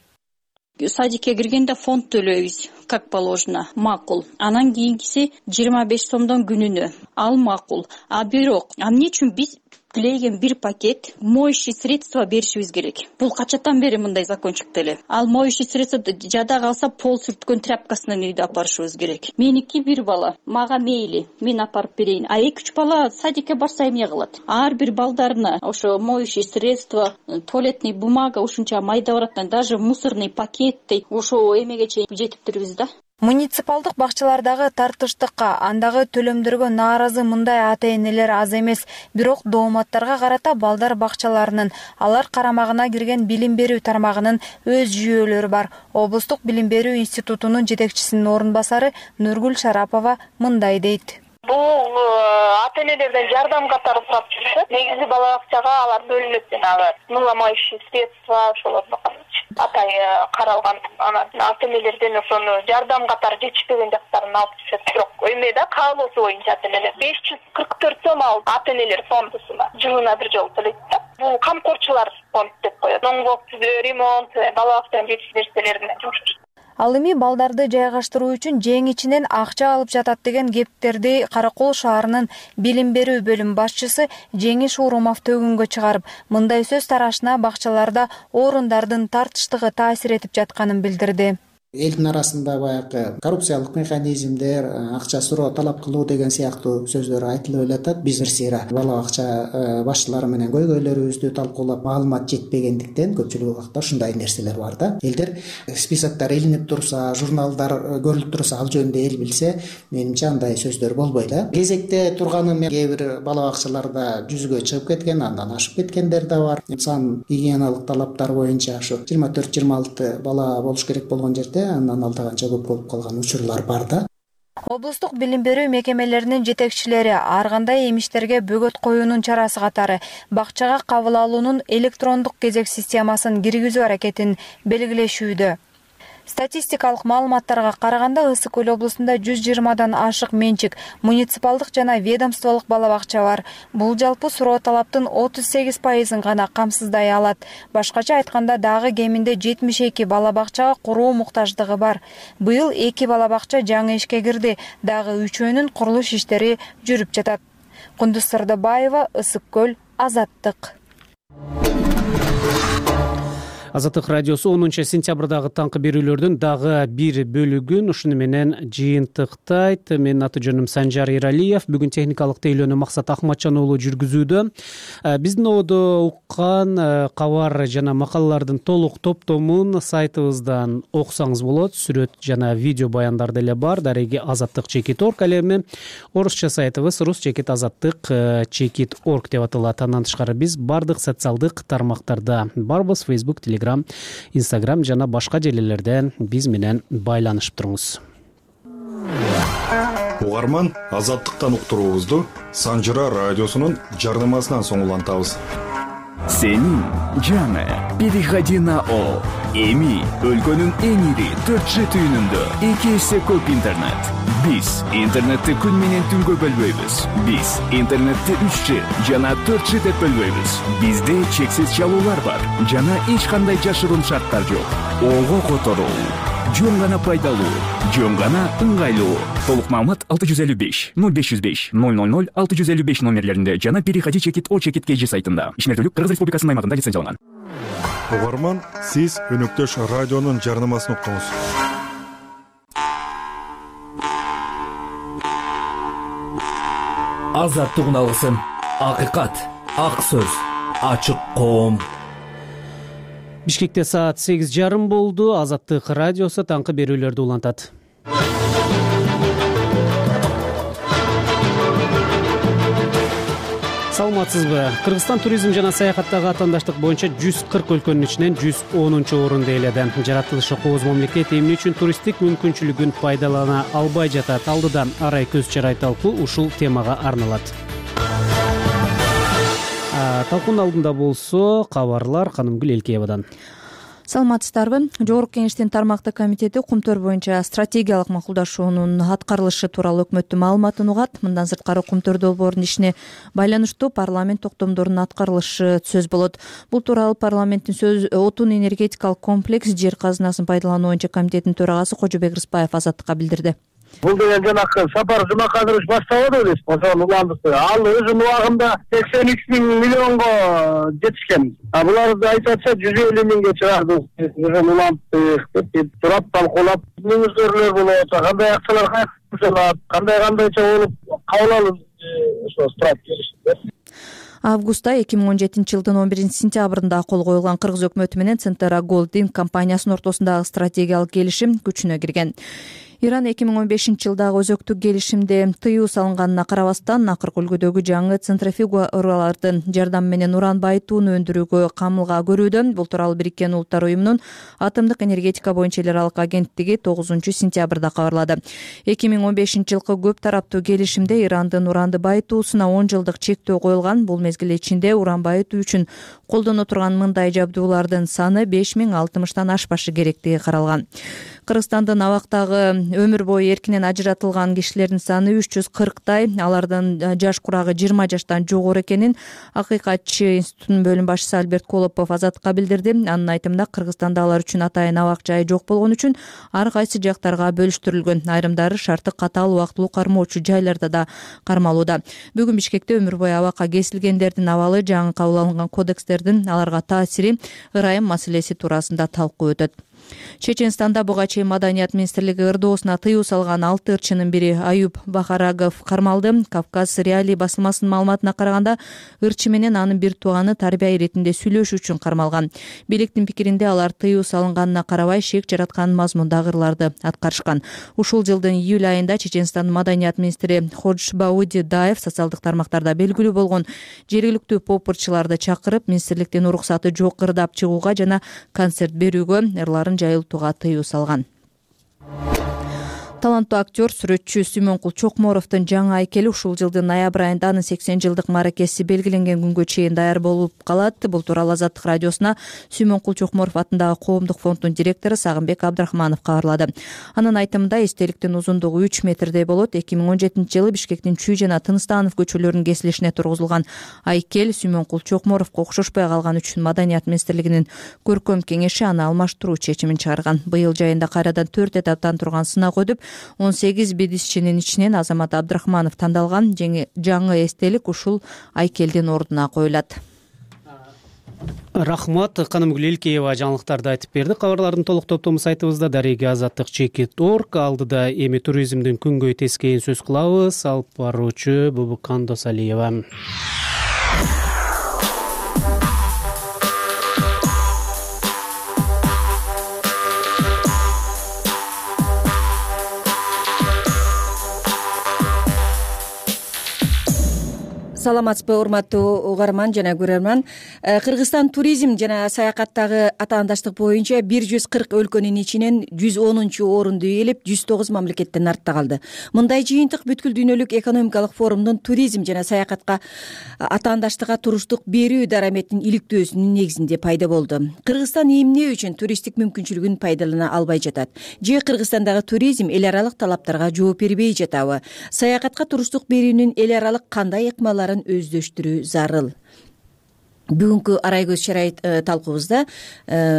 Садикке киргенде фонд төлөйбүз, как положено, макул. Анан кийинкиси жыйырма беш сомдон күнүнө. Ал макул. А бирок, а эмне үчүн биз тилеген бир пакет моющий средство беришибиз керек? Бул качаттан бери мындай закон чыкты эле. Ал моющий средство жада калса пол сүрткөн тряпкасынан үйдө апарышыбыз керек. Меники бир бала, мага мейли, мен апарып берейин. А эки үч бала садикке барса эмне кылат? Ар бир балдарына ошо моющий средство, туалетный бумага ушунча майда барат, даже мусорный пакеттей ошо эмеге чейин жетиптирбиз да. Муниципалдык бакчалардагы тартыштыкка, андагы төлөмдөргө нааразы мындай ата-энелер аз эмес. Бирок дооматтарга карата балдар бакчаларынын, алар карамагына кирген билим берүү тармагынын өз жүйөлөрү бар. Облустук билим берүү институтунун жетекчисинин орун басары Нургүл Шарапова мындай дейт. Бул ата-энелерден жардам катары сурап жүрүшөт. Негизи бала бакчага алар бөлүнөт жанагы мыламающий средства ошолорду атай каралган. Анан ата-энелерден ошону жардам катары жетишпеген жактарын алып түшөт. Бирок эмеде каалоосу боюнча ата-энелер беш жүз кырк төрт сом алып ата-энелер фондусуна жылына бир жолу төлөйт да. Бул камкорчулар фонд деп коет. Оңгоп ремонт, бала бакчанын жетиш нерселерине жумуш. Ал эми балдарды жайгаштыруу үчүн жең ичинен акча алып жатат деген кептерди Каракол шаарынын билим берүү бөлүм башчысы Жеңиш Урумов төгүнгө чыгарып, мындай сөз тарашына бакчаларда орундардын тартыштыгы таасир этип жатканын билдирди. Элдин арасында баягы коррупциялык механизмдер, акча суроо талап кылуу деген сыяктуу сөздөр айтылып элетат. Биз сыйра бала бакча башчылары менен көйгөйлөрүбүздү талкуулап, маалымат жетпегендиктен көпчүлүк убакта ушундай нерселер бар да. Элдер списоктор илинип турса, журналдар көрүлүп турса, ал жөнүндө эл билсе, менимче андай сөздөр болбойт да. Кезекте турганы кээ бир бала бакчаларда жүзгө чыгып кеткен, андан ашып кеткендер да бар. Сан гигиеналык талаптар боюнча ушу жыйырма төрт жыйырма алты бала болуш керек болгон жерде андан алдаганча көп болуп калган учурлар бар да. Облустук билим берүү мекемелеринин жетекчилери ар кандай эмиштерге бөгөт коюунун чарасы катары бакчага кабыл алуунун электрондук кезек системасын киргизүү аракетин белгилешүүдө. Статистикалык маалыматтарга караганда Ысык көл облусунда жүз жыйырмадан ашык менчик, муниципалдык жана ведомстволук бала бакча бар. Бул жалпы суроо талаптын отуз сегиз пайызын гана камсыздай алат. Башкача айтканда дагы кеминде жетимиш эки бала бакчага куруу муктаждыгы бар. Быйыл эки бала бакча жаңы ишке кирди, дагы үчөөнүн курулуш иштери жүрүп жатат. Кундуз Сырдыбаева, Ысык көл, Азаттык. Азаттык радиосу онунчу сентябрдагы таңкы берүүлөрдүн дагы бир бөлүгүн ушуну менен жыйынтыктайт. Менин аты жөнүм Санжар Иралиев. Бүгүн техникалык тейлөөнү Максат Ахматжан уулу жүргүзүүдө. Биздин ободо уккан кабар жана макалалардын толук топтомун сайтыбыздан окусаңыз болот. Сүрөт жана видео баяндар деле бар. Дареги азаттык чекит орг. Ал эми орусча сайтыбыз рус чекит азаттык чекит орг деп аталат. Андан тышкары биз бардык социалдык тармактарда барбыз. Facebook, Telegram, Instagram жана башка жерлерден биз менен байланышып туруңуз. Угарман азаттыктан уктуруубузду Санжыра радиосунун жардамасынан соң улантабыз. Сенин жаңы переходи на О. Эми өлкөнүн эң ири төрт Ж түйүнүндө эки эсе көп интернет. Биз интернетти күн менен түнгө бөлбөйбүз. Биз интернетти үч Ж жана төрт Ж деп бөлбөйбүз. Бизде чексиз чалуулар бар жана эч кандай жашыруун шарттар жок. Ого которуу жөн гана пайдалуу, жөн гана ыңгайлуу. Толук маалымат алты жүз элүү беш ноль беш жүз беш ноль ноль ноль алты жүз элүү беш номерлеринде жана переходи чекит о чекит kg сайтында. Ишмердүүлүк Кыргыз Республикасынын аймагында лицензияланган. Угарман, сиз өнөктөш радионун жарнамасын уктуңуз. Азаттык алгысын, акыйкат, ак сөз, ачык коом. Бишкекте саат сегиз жарым болду. Азаттык радиосу таңкы берүүлөрдү улантат. Саламатсызбы? Кыргызстан туризм жана саякаттагы атаандаштык боюнча жүз кырк өлкөнүн ичинен жүз онунчу орунду ээледи. Жаратылышы кооз мамлекет эмне үчүн туристтик мүмкүнчүлүгүн пайдалана албай жатат? Алдыда арай көз чарай талкуу ушул темага арналат. Талкуунун алдында болсо кабарлар Канымгүл Элкеевадан. Саламатсыздарбы? Жогорку Кеңештин тармактык комитети Кумтөр боюнча стратегиялык макулдашуунун аткарылышы тууралуу өкмөттүн маалыматын угат. Мындан сырткары Кумтөр долбоорунун ишине байланыштуу парламент токтомдорунун аткарылышы сөз болот. Бул тууралуу парламенттин сөз отун энергетикалык комплекс жер казынасын пайдалануу боюнча комитеттин төрагасы Кожобек Рыспаев Азаттыкка билдирди. Бул деген жанакы Сапар Жумакадырович баштабады белесиз, ошол уландыкты. Ал өзүнүн убагында сексен үч миң миллионго жетишкен. А буларды айтып атса жүз элүү миңге чыгарды. Ошол уландык деп турап талкуулап, мүнөздөрлөр болот, кандай акчалар кайтарылат, кандай кандайча болуп кабыл алып ошо страйк келишти. Августта эки миң он жетинчи жылдын он биринчи сентябрында кол коюлган Кыргыз өкмөтү менен Центра Голдинг компаниясынын ортосундагы стратегиялык келишим күчүнө кирген. Иран эки миң он бешинчи жылдагы өзөктүк келишимде тыюу салынганына карабастан акыркы үлгүдөгү жаңы центрифугалардын жардамы менен уран байытууну өндүрүүгө камылга көрүүдө. Бул тууралуу Бириккен Улуттар уюмунун атомдук энергетика боюнча эл аралык агенттиги тогузунчу сентябрда кабарлады. эки миң он бешинчи жылкы көп тараптуу келишимде Ирандын уранды байытуусуна он жылдык чектөө коюлган. Бул мезгил ичинде уран байытуу үчүн колдоно турган мындай жабдуулардын саны беш миң алтымыштан ашпашы керектиги каралган. Кыргызстандын абактагы өмүр бою эркинен ажыратылган кишилердин саны үч жүз кырктай. Алардын жаш курагы жыйырма жаштан жогору экенин Акыйкатчы институтунун бөлүм башчысы Альберт Колопов Азаттыкка билдирди. Анын айтымында Кыргызстанда алар үчүн атайын абак жайы жок болгон үчүн ар кайсы жактарга бөлүштүрүлгөн. Айрымдары шарты катаал убактылуу кармоочу жайларда да кармалууда. Бүгүн Бишкекте өмүр бою абакка кесилгендердин абалы, жаңы кабыл алынган кодекстердин аларга таасири, ырайым маселеси туурасында талкуу өтөт. Чеченстанда буга чейин Маданият министрлиги ырдоосуна тыюу салган алты ырчынын бири Аюп Бахарагов кармалды. Кавказ Реалий басылмасынын маалыматына караганда ырчы менен анын бир тууганы тарбия иретинде сүйлөшүү үчүн кармалган. Бийликтин пикиринде алар тыюу салынганына карабай шек жараткан мазмундагы ырларды аткарышкан. Ушул жылдын июль айында Чеченстандын Маданият министри Ходжбауди Даев социалдык тармактарда белгилүү болгон жергиликтүү поп-ырчыларды чакырып, министрликтин уруксаты жок ырдап чыгууга жана концерт берүүгө, ырларын жайылтууга тыюу салган. Таланттуу актер, сүрөтчү Сүймөнкул Чокморовдун жаңы айкели ушул жылдын ноябрь айында анын сексен жылдык мааракеси белгиленген күнгө чейин даяр болуп калат. Бул тууралуу Азаттык радиосуна Сүймөнкул Чокморов атындагы коомдук фонддун директору Сагынбек Абдрахманов кабарлады. Анын айтымында эстеликтин узундугу үч метрдей болот. эки миң он жетинчи жылы Бишкектин Чүй жана Тыныстанов көчөлөрүнүн кесилишине тургузулган айкел Сүймөнкул Чокморовго окшошпой калган үчүн Маданият министрлигинин көркөм кеңеши аны алмаштыруу чечимин чыгарган. Быйыл жайында кайрадан төрт этаптан турган сынак өтүп, он сегиз бидисчинин ичинен Азамат Абдрахманов тандалган. Жаңы эстелик ушул айкелдин ордуна коюлат. Рахмат. Канымгүл Элкеева жаңылыктарды айтып берди. Кабарлардын толук топтому сайтыбызда дареги азаттык чекит точка орг. Алдыда эми туризмдин күнгөй тескейин сөз кылабыз. Алып баруучу Бубукан Досалиева. саламатсызбы урматтуу угарман жана көрөрман. Кыргызстан туризм жана саякаттагы атаандаштык боюнча бир жүз кырк өлкөнүн ичинен жүз онунчу орунду ээлеп, жүз тогуз мамлекеттен артта калды. Мындай жыйынтык бүткүл дүйнөлүк экономикалык форумдун туризм жана саякатка атаандаштыкка туруштук берүү дараметинин иликтөөсүнүн негизинде пайда болду. Кыргызстан эмне үчүн туристтик мүмкүнчүлүгүн пайдалана албай жатат? Же Кыргызстандагы туризм эл аралык талаптарга жооп бербей жатабы? Саякатка туруштук берүүнүн эл аралык кандай ыкмаларын өздөштүрүү зарыл? Бүгүнкү арай көз шарайт талкуубузда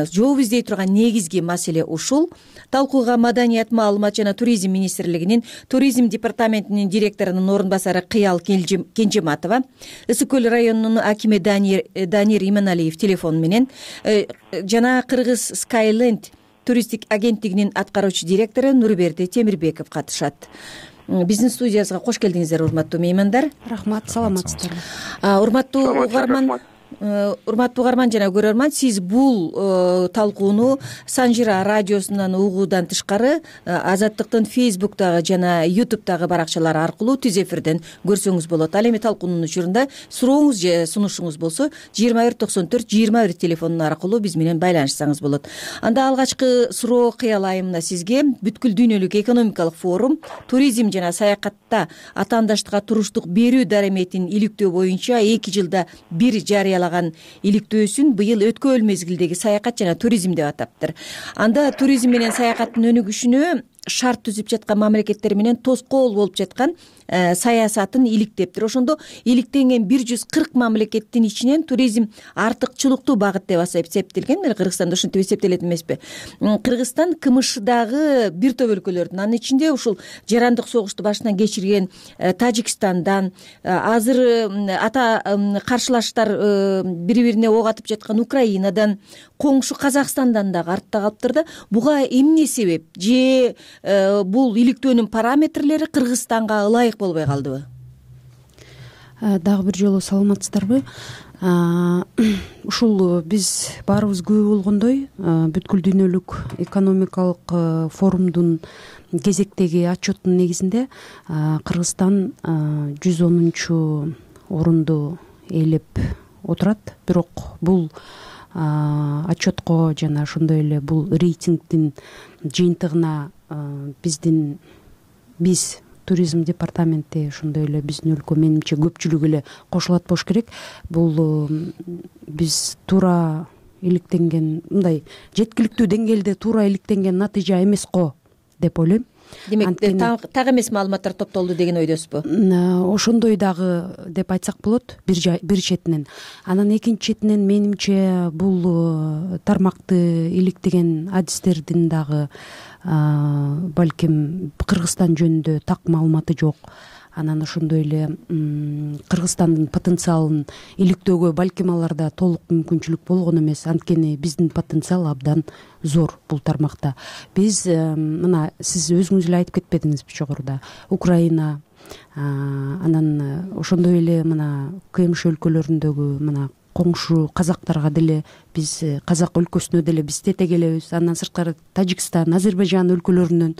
жооп издей турган негизги маселе ушул. Талкууга Маданият, маалымат жана туризм министрлигинин туризм департаментинин директорунун орун басары Кыял Кенжематова, Ысык көл районунун акими Данир Иманалиев телефон менен жана Кыргыз Skyland туристтик агенттигинин аткаруучу директору Нурберди Темирбеков катышат. Биздин студиябызга кош келдиңиздер, урматтуу меймандар. Рахмат, саламатсыздарбы? Урматтуу угарман урматтуу угарман жана көрөрман, сиз бул талкууну Санжира радиосунан угуудан тышкары Азаттыктын Фейсбуктагы жана Ютубтагы баракчалары аркылуу түз эфирден көрсөңүз болот. Ал эми талкуунун учурунда сурооңуз же сунушуңуз болсо жыйырма бир токсон төрт жыйырма бир телефону аркылуу биз менен байланышсаңыз болот. Анда алгачкы суроо Кыял айымына сизге бүткүл дүйнөлүк экономикалык форум туризм жана саякатта атаандаштыкка туруштук берүү дараметин иликтөө боюнча эки жылда бир жарыялаган иликтөөсүн быйыл өткөн мезгилдеги саякат жана туризм деп атаптыр. Анда туризм менен саякаттын өнүгүшүнө шарт түзүп жаткан мамлекеттер менен тоскоол болуп жаткан саясатын иликтептир. Ошондо иликтенген бир жүз кырк мамлекеттин ичинен туризм артыкчылыктуу багыт деп эсептелген. Кыргызстанда ушинтип эсептелет эмеспи? Кыргызстан КМШдагы бир топ өлкөлөрдүн, анын ичинде ушул жарандык согушту башынан кечирген Тажикстандан, азыр ата каршылаштар бири бирине ок атып жаткан Украинадан, коңшу Казакстандан дагы артта калыптыр да. Буга эмне себеп? Же бул иликтөөнүн параметрлери Кыргызстанга ылайык болбой калдыбы? Дагы бир жолу саламатсыздарбы? Ушул биз баарыбыз күбө болгондой, бүткүл дүйнөлүк экономикалык форумдун кезектеги отчеттун негизинде Кыргызстан жүз онунчу орунду ээлеп отурат. Бирок бул отчетко жана ошондой эле бул рейтингдин жыйынтыгына биздин биз туризм департаменти, ошондой эле биздин өлкө менимче көпчүлүгү эле кошулат болуш керек. Бул биз туура иликтенген, мындай жеткиликтүү деңгээлде туура иликтенген натыйжа эмес го деп ойлойм. Демек, так эмес маалыматтар топтолду деген ойдосузбу? Ошондой дагы деп айтсак болот бир бир четинен. Анан экинчи четинен менимче бул тармакты иликтеген адистердин дагы балким Кыргызстан жөнүндө так маалыматы жок. Анан ошондой эле Кыргызстандын потенциалын иликтөөгө балким аларда толук мүмкүнчүлүк болгон эмес. Анткени биздин потенциал абдан зор бул тармакта. Биз мына сиз өзүңүз эле айтып кетпедиңизби жогоруда? Украина, анан ошондой эле мына КМШ өлкөлөрүндөгү мына коңшу казактарга деле биз, казак өлкөсүнө деле биз тете келебиз. Андан сырткары Тажикстан, Азербайжан өлкөлөрүнөн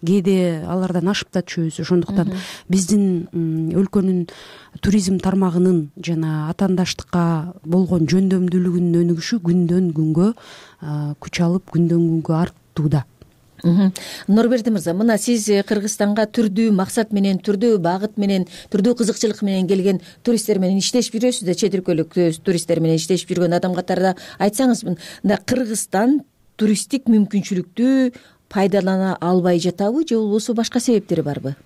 кээде алардан ашып да түшөбүз. Ошондуктан биздин өлкөнүн туризм тармагынын жана атаандаштыкка болгон жөндөмдүүлүгүнүн өнүгүшү күндөн күнгө күч алып, күндөн күнгө артууда. Нурберди мырза, мына сиз Кыргызстанга түрдүү максат менен, түрдүү багыт менен, түрдүү кызыкчылык менен келген туристтер менен иштешип жүрөсүз да, чет өлкөлүк туристтер менен иштешип жүргөн адам катарында айтсаңыз, мында Кыргызстан туристтик мүмкүнчүлүктү пайдалана албай жатабы, же болбосо башка себептери барбы?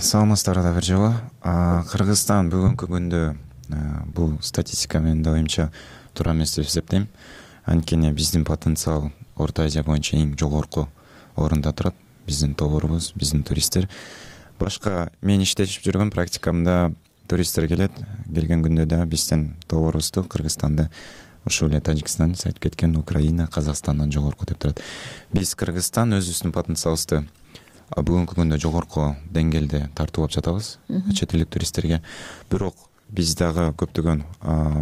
Саламатсыздар да бир жолу. Кыргызстан бүгүнкү күндө бул статистика менин оюмча туура эмес деп эсептейм. Анткени биздин потенциал Орто Азия боюнча эң жогорку орунда турат. Биздин тоборубуз, биздин туристтер. Башка мен иштешип жүргөн практикамда туристтер келет. Келген күндө да биздин тоборубузду Кыргызстанды ушул эле Тажикстан, айтып кеткен Украина, Казакстандан жогорку деп турат. Биз Кыргызстан өзүбүздүн потенциалыбызды бүгүнкү күндө жогорку деңгээлде тартып алып жатабыз чет элдик туристтерге. Бирок биз дагы көптөгөн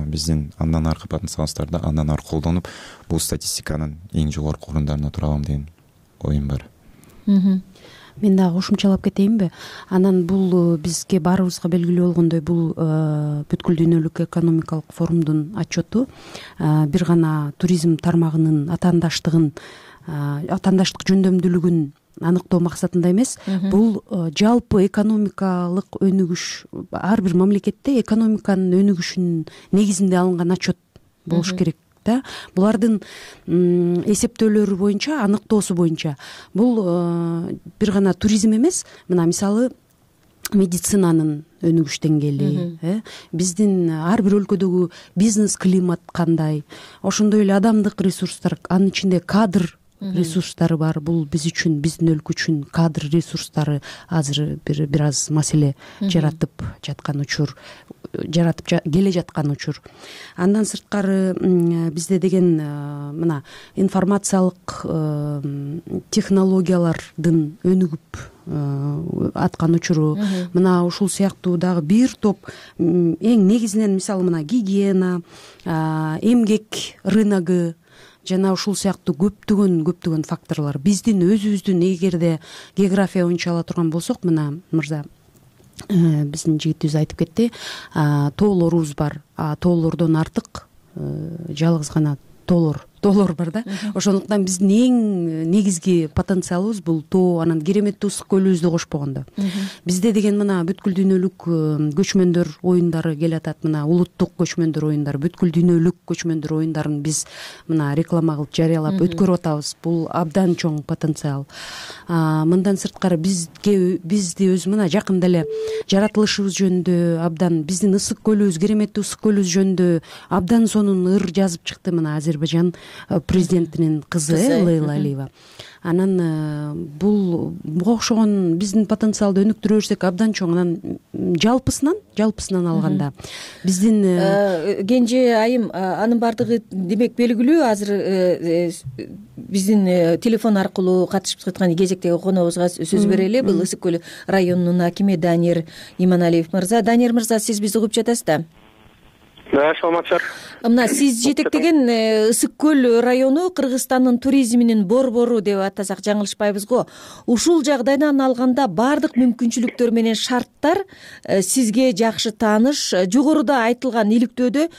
биздин андан аркы потенциалыбыздарды андан аркы колдонуп, бул статистиканын эң жогорку орундарына тура алам деген оюм бар. мен дагы кошумчалап кетейинби? Анан бул бизге баарыбызга белгилүү болгондой бул бүткүл дүйнөлүк экономикалык форумдун отчету бир гана туризм тармагынын атаандаштыгын атаандаштык жөндөмдүүлүгүн аныктоо максатында эмес, бул жалпы экономикалык өнүгүш, ар бир мамлекетте экономиканын өнүгүшүнүн негизинде алынган отчет болуш керек да. Булардын эсептөөлөрү боюнча, аныктоосу боюнча бул бир гана туризм эмес, мына мисалы медицинанын өнүгүш деңгээли, биздин ар бир өлкөдөгү бизнес климат кандай, ошондой эле адамдык ресурстар, анын ичинде кадр ресурстары бар. Бул биз үчүн, биздин өлкө үчүн кадр ресурстары азыр бир бир аз маселе жаратып жаткан учур, жаратып келе жаткан учур. Андан сырткары бизде деген мына информациялык технологиялардын өнүгүп аткан учуру, мына ушул сыяктуу дагы бир топ эң негизинен мисалы мына гигиена, эмгек рыногу жана ушул сыяктуу көптөгөн көптөгөн факторлор. Биздин өзүбүздүн эгерде география боюнча ала турган болсок, мына мырза биздин жигитибиз айтып кетти, тоолорубуз бар. Тоолордон артык жалгыз гана тоолор тоолор бар да. Ошондуктан биздин эң негизги потенциалыбыз бул тоо, анан кереметтүү ысык көлүбүздү кошпогондо. Бизде деген мына бүткүл дүйнөлүк көчмөндөр оюндары келатат, мына улуттук көчмөндөр оюндары, бүткүл дүйнөлүк көчмөндөр оюндарын биз мына реклама кылып жарыялап өткөрүп атабыз. Бул абдан чоң потенциал. Мындан сырткары бизге бизди өз мына жакында эле жаратылышыбыз жөнүндө абдан, биздин ысык көлүбүз, кереметтүү ысык көлүбүз жөнүндө абдан сонун ыр жазып чыкты мына Азербайжан президентинин кызы Лейла Алиева. Анан бул буга окшогон биздин потенциалды өнүктүрө берсек абдан чоң. Анан жалпысынан жалпысынан алганда биздин Кенже айым, анын баардыгы демек белгилүү. Азыр биздин телефон аркылуу катышып жаткан кезектеги коногубузга сөз берели. Бул Ысык көл районунун акими Данир Иманалиев мырза. Данир мырза, сиз бизди угуп жатасыз да? Да, саламатсыздар. Мына сиз жетектеген Ысык көл району Кыргызстандын туризминин борбору деп атасак жаңылышпайбыз го. Ушул жагдайдан алганда баардык мүмкүнчүлүктөр менен шарттар сизге жакшы тааныш. Жогоруда айтылган иликтөөдө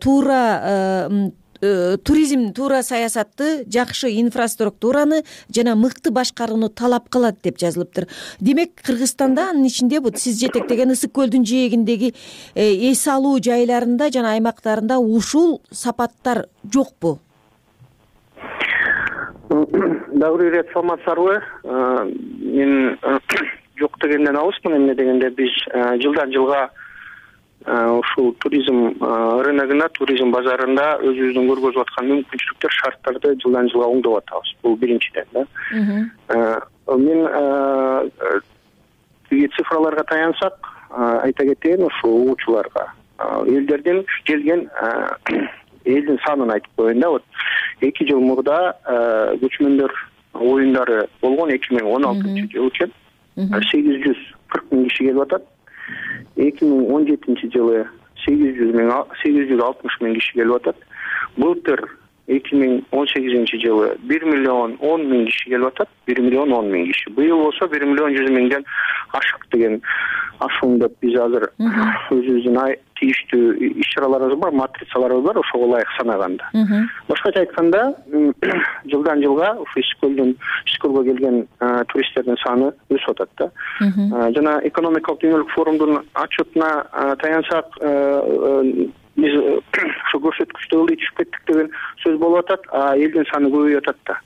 туура туризм, туура саясатты, жакшы инфраструктураны жана мыкты башкарууну талап кылат деп жазылыптыр. Демек, Кыргызстанда, анын ичинде бул сиз жетектеген Ысык көлдүн жээгиндеги эс алуу жайларында жана аймактарында ушул сапаттар жокпу? Дагы бир ирет саламатсыздарбы? Мен жок дегенден алысмын. Эмне дегенде биз жылдан жылга ушул туризм рыногуна, туризм базарында өзүбүздүн көргөзүп аткан мүмкүнчүлүктөр, шарттарды жылдан жылга оңдоп атабыз. Бул биринчиден да. Мен цифраларга таянсак, айта кетейин ушул угуучуларга. Элдерден келген элдин санын айтып коеюн да. Вот эки жыл мурда көчмөндөр оюндары болгон, эки миң он алтынчы жыл экен. сегиз жүз кырк миң киши келип атат. эки миң он жетинчи жылы сегиз жүз миң сегиз жүз алтымыш миң киши келип атат. Былтыр эки миң он сегизинчи жылы бир миллион он миң киши келип атат. бир миллион он миң киши. Быйыл болсо бир миллион жүз миңден ашык деген ашуңдап биз азыр өзүбүздүн тийиштүү иш-чараларыбыз бар, матрицаларыбыз бар, ошого ылайык санаганда. Башкача айтканда, жылдан жылга ушу Ысык көлдүн Ысык көлгө келген туристтердин саны өсүп атат да. Жана экономикалык дүйнөлүк форумдун отчетуна таянсак, биз ушу көрсөткүчтө ылдый түшүп кеттик деген сөз болуп атат, а элдин саны көбөйүп атат да.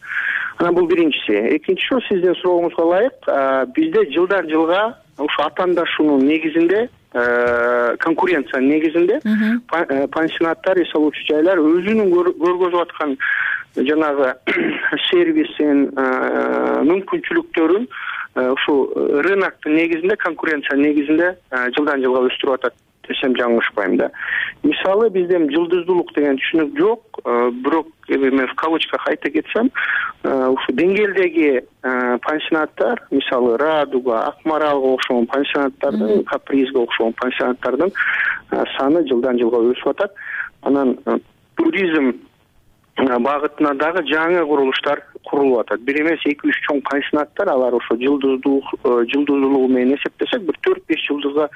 Анан бул биринчиси. Экинчиси, сиздин сурооңузга ылайык, бизде жылдан жылга ушу атаандашуунун негизинде, конкуренция негизинде пансионаттар, эс алуучу жайлар өзүнүн көргөзүп аткан жанагы сервисин, мүмкүнчүлүктөрүн ушул рыноктун негизинде, конкуренция негизинде жылдан жылга өстүрүп атат десем жаңылышпайм да. Мисалы, бизде жылдыздуулук деген түшүнүк жок, бирок мен в кавычках айта кетсем, ушу деңгээлдеги пансионаттар, мисалы Радуга, Акмаралга окшогон пансионаттардын, Капризге окшогон пансионаттардын саны жылдан жылга өсүп атат. Анан туризм багытына дагы жаңы курулуштар курулуп атат. Бир эмес эки үч чоң пансионаттар, алар ошо жылдыздуулук жылдыздуулугу менен эсептесек бир төрт беш жылдызга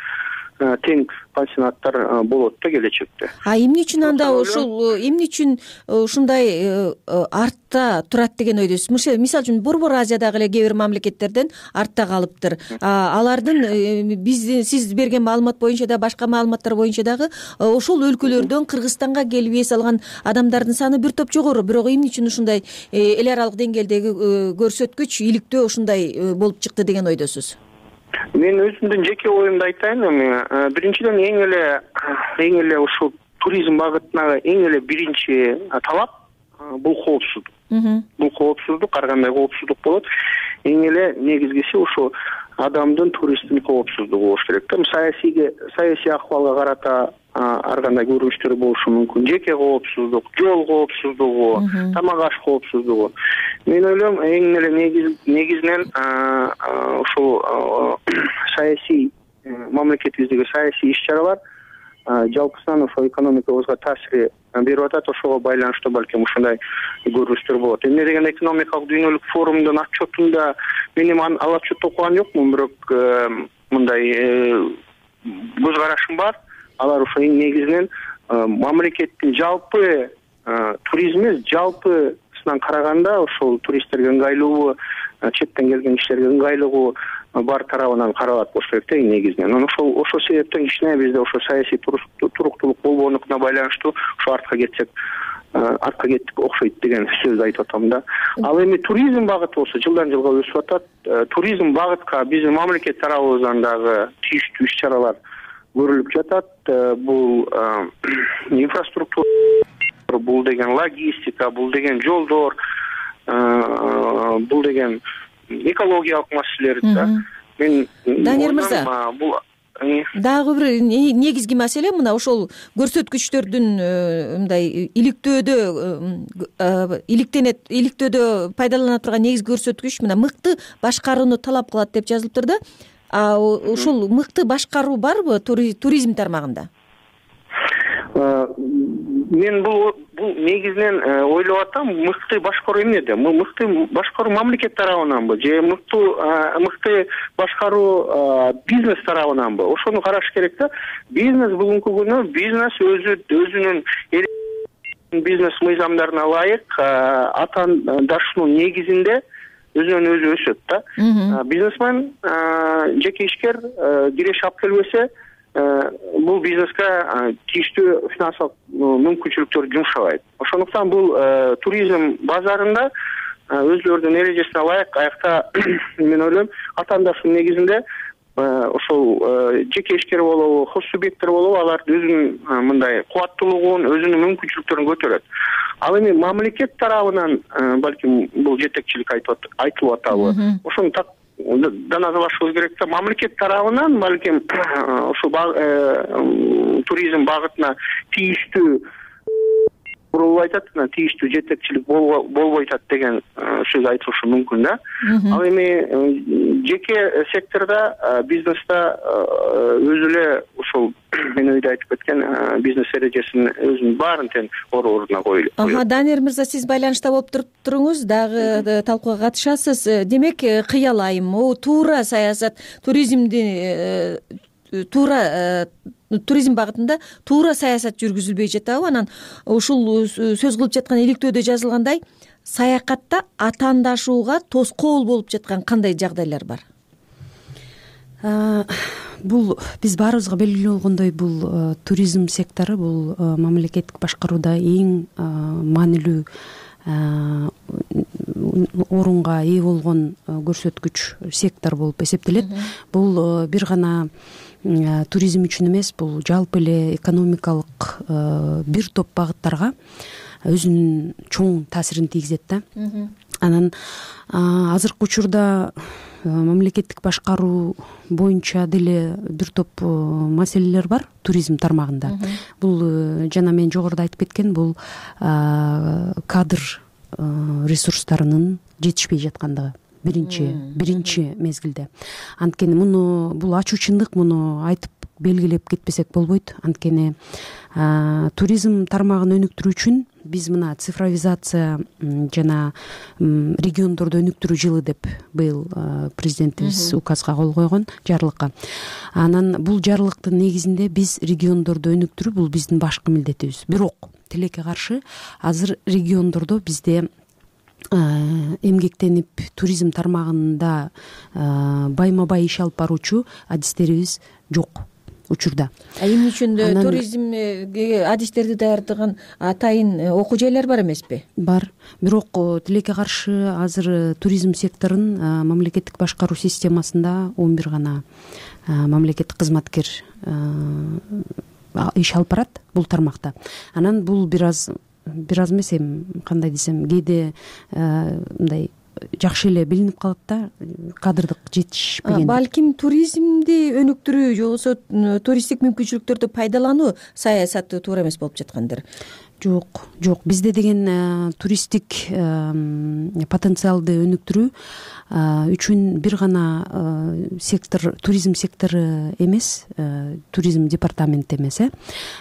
тең пансионаттар болот да келечекте. А эмне үчүн анда ушул эмне үчүн ушундай артта турат деген ойдосуз? Мисалы үчүн Борбор Азиядагы эле кээ бир мамлекеттерден артта калыптыр. Алардын биздин сиз берген маалымат боюнча да башка маалыматтар боюнча дагы ошол өлкөлөрдөн Кыргызстанга келип эс алган адамдардын саны бир топ жогору. Бирок эмне үчүн ушундай эл аралык деңгээлдеги көрсөткүч иликтөө ушундай болуп чыкты деген ойдосуз? Мен өзүмдүн жеке оюмду айтайын. Биринчиден эң эле эң эле ушул туризм багытына эң эле биринчи талап бул коопсуздук. Бул коопсуздук ар кандай коопсуздук болот. Эң эле негизгиси ушул адамдын, туристтин коопсуздугу болуш керек да. Саясийге саясий акыбалга карата ар кандай көрүнүштөр болушу мүмкүн. Жеке коопсуздук, жол коопсуздугу, тамак аш коопсуздугу. Мен ойлойм эң эле негизинен ушул саясий мамлекетибиздеги саясий иш-чаралар жалпысынан ошо экономикабызга таасир берип атат. Ошого байланыштуу балким ушундай көрүнүштөр болот. Эмне деген экономикалык дүйнөлүк форумдун отчетунда мен эми ал отчетту окуган жокмун, бирок мындай көз карашым бар. Алар ошо эң негизинен мамлекеттин жалпы туризми жалпысынан караганда ошол туристтерге ыңгайлуу, четтен келген кишилерге ыңгайлуу бар тарабынан каралат болуш керек да эң негизинен. Анан ошол ошол себептен кичине бизде ошо саясий туруктуулук болбоонуна байланыштуу ошо артка кетсек артка кеттик окшойт деген сөздү айтып атам да. Ал эми туризм багыты болсо жылдан жылга өсүп атат. Туризм багытка биздин мамлекет тарабыбыздан дагы тийиштүү иш-чаралар көрүлүп жатат. Бул инфраструктура, бул деген логистика, бул деген жолдор, бул деген экологиялык маселелер да. Мен Данияр мырза, бул дагы бир негизги маселе мына ошол көрсөткүчтөрдүн мындай иликтөөдө иликтенет иликтөөдө пайдалана турган негизги көрсөткүч мына мыкты башкарууну талап кылат деп жазылыптыр да. А ушул мыкты башкаруу барбы туризм тармагында? Мен бул бул негизинен ойлоп атам, мыкты башкаруу эмнеде? Мыкты башкаруу мамлекет тарабынанбы же мыкты мыкты башкаруу бизнес тарабынанбы? Ошону караш керек да. Бизнес бүгүнкү күнү бизнес өзү өзүнүн бизнес мыйзамдарына ылайык атаандашуунун негизинде өзүнөн өзү өсөт да. Бизнесмен жеке ишкер киреш алып келбесе бул бизнеске тийиштүү финансылык мүмкүнчүлүктөрдү жумшабайт. Ошондуктан бул туризм базарында өзлөрүнүн эрежесине ылайык аякта мен ойлойм атаандашуунун негизинде ошол жеке ишкер болобу, хос субъекттер болобу, алар өзүнүн мындай кубаттуулугун, өзүнүн мүмкүнчүлүктөрүн көтөрөт. Ал эми мамлекет тарабынан балким бул жетекчилик айтылып атабы? Ошону так даназалашыбыз керек да. Мамлекет тарабынан балким ушул туризм багытына тийиштүү курулуп айтат, тийиштүү жетекчилик болбой атат деген сөз айтылышы мүмкүн да. Ал эми жеке сектордо, бизнесте өзү эле ушул мен өйдө айтып кеткен бизнес эрежесин өзүнүн баарын тең ордуна коюлат. Ага, Данияр мырза, сиз байланышта болуп туруңуз, дагы талкууга катышасыз. Демек, кыялайм, могу туура саясат, туризмди туура туризм багытында туура саясат жүргүзүлбөй жатабы? Анан ушул сөз кылып жаткан иликтөөдө жазылгандай саякатта атаандашууга тоскоол болуп жаткан кандай жагдайлар бар? Бул биз баарыбызга белгилүү болгондой, бул туризм сектору бул мамлекеттик башкарууда эң маанилүү орунга ээ болгон көрсөткүч сектор болуп эсептелет. Бул бир гана туризм үчүн эмес, бул жалпы эле экономикалык бир топ багыттарга өзүнүн чоң таасирин тийгизет да. Анан азыркы учурда мамлекеттик башкаруу боюнча деле бир топ маселелер бар туризм тармагында. Бул жана мен жогоруда айтып кеткен, бул кадр ресурстарынын жетишпей жаткандыгы биринчи биринчи мезгилде. Анткени муну бул ачуу чындык, муну айтып белгилеп кетпесек болбойт. Анткени туризм тармагын өнүктүрүү үчүн биз мына цифровизация жана региондорду өнүктүрүү жылы деп быйыл президентибиз указга кол койгон, жарлыкка. Анан бул жарлыктын негизинде биз региондорду өнүктүрүү бул биздин башкы милдетибиз. Бирок тилекке каршы азыр региондордо бизде эмгектенип туризм тармагында байма бай иш алып баруучу адистерибиз жок учурда. А эмне үчүн туризмге адистерди даярдаган атайын окуу жайлар бар эмеспи? Бар. Бирок тилекке каршы азыр туризм секторун мамлекеттик башкаруу системасында он бир гана мамлекеттик кызматкер иш алып барат бул тармакта. Анан бул бир аз бир аз эмес, эми кандай десем, кээде мындай жакшы эле билинип калат да, кадрдык жетишпеген. Балким туризмди өнүктүрүү же болбосо туристтик мүмкүнчүлүктөрдү пайдалануу саясаты туура эмес болуп жаткандыр. Жок, жок. Бизде деген туристтик потенциалды өнүктүрүү үчүн бир гана сектор, туризм сектору эмес, туризм департаменти эмес,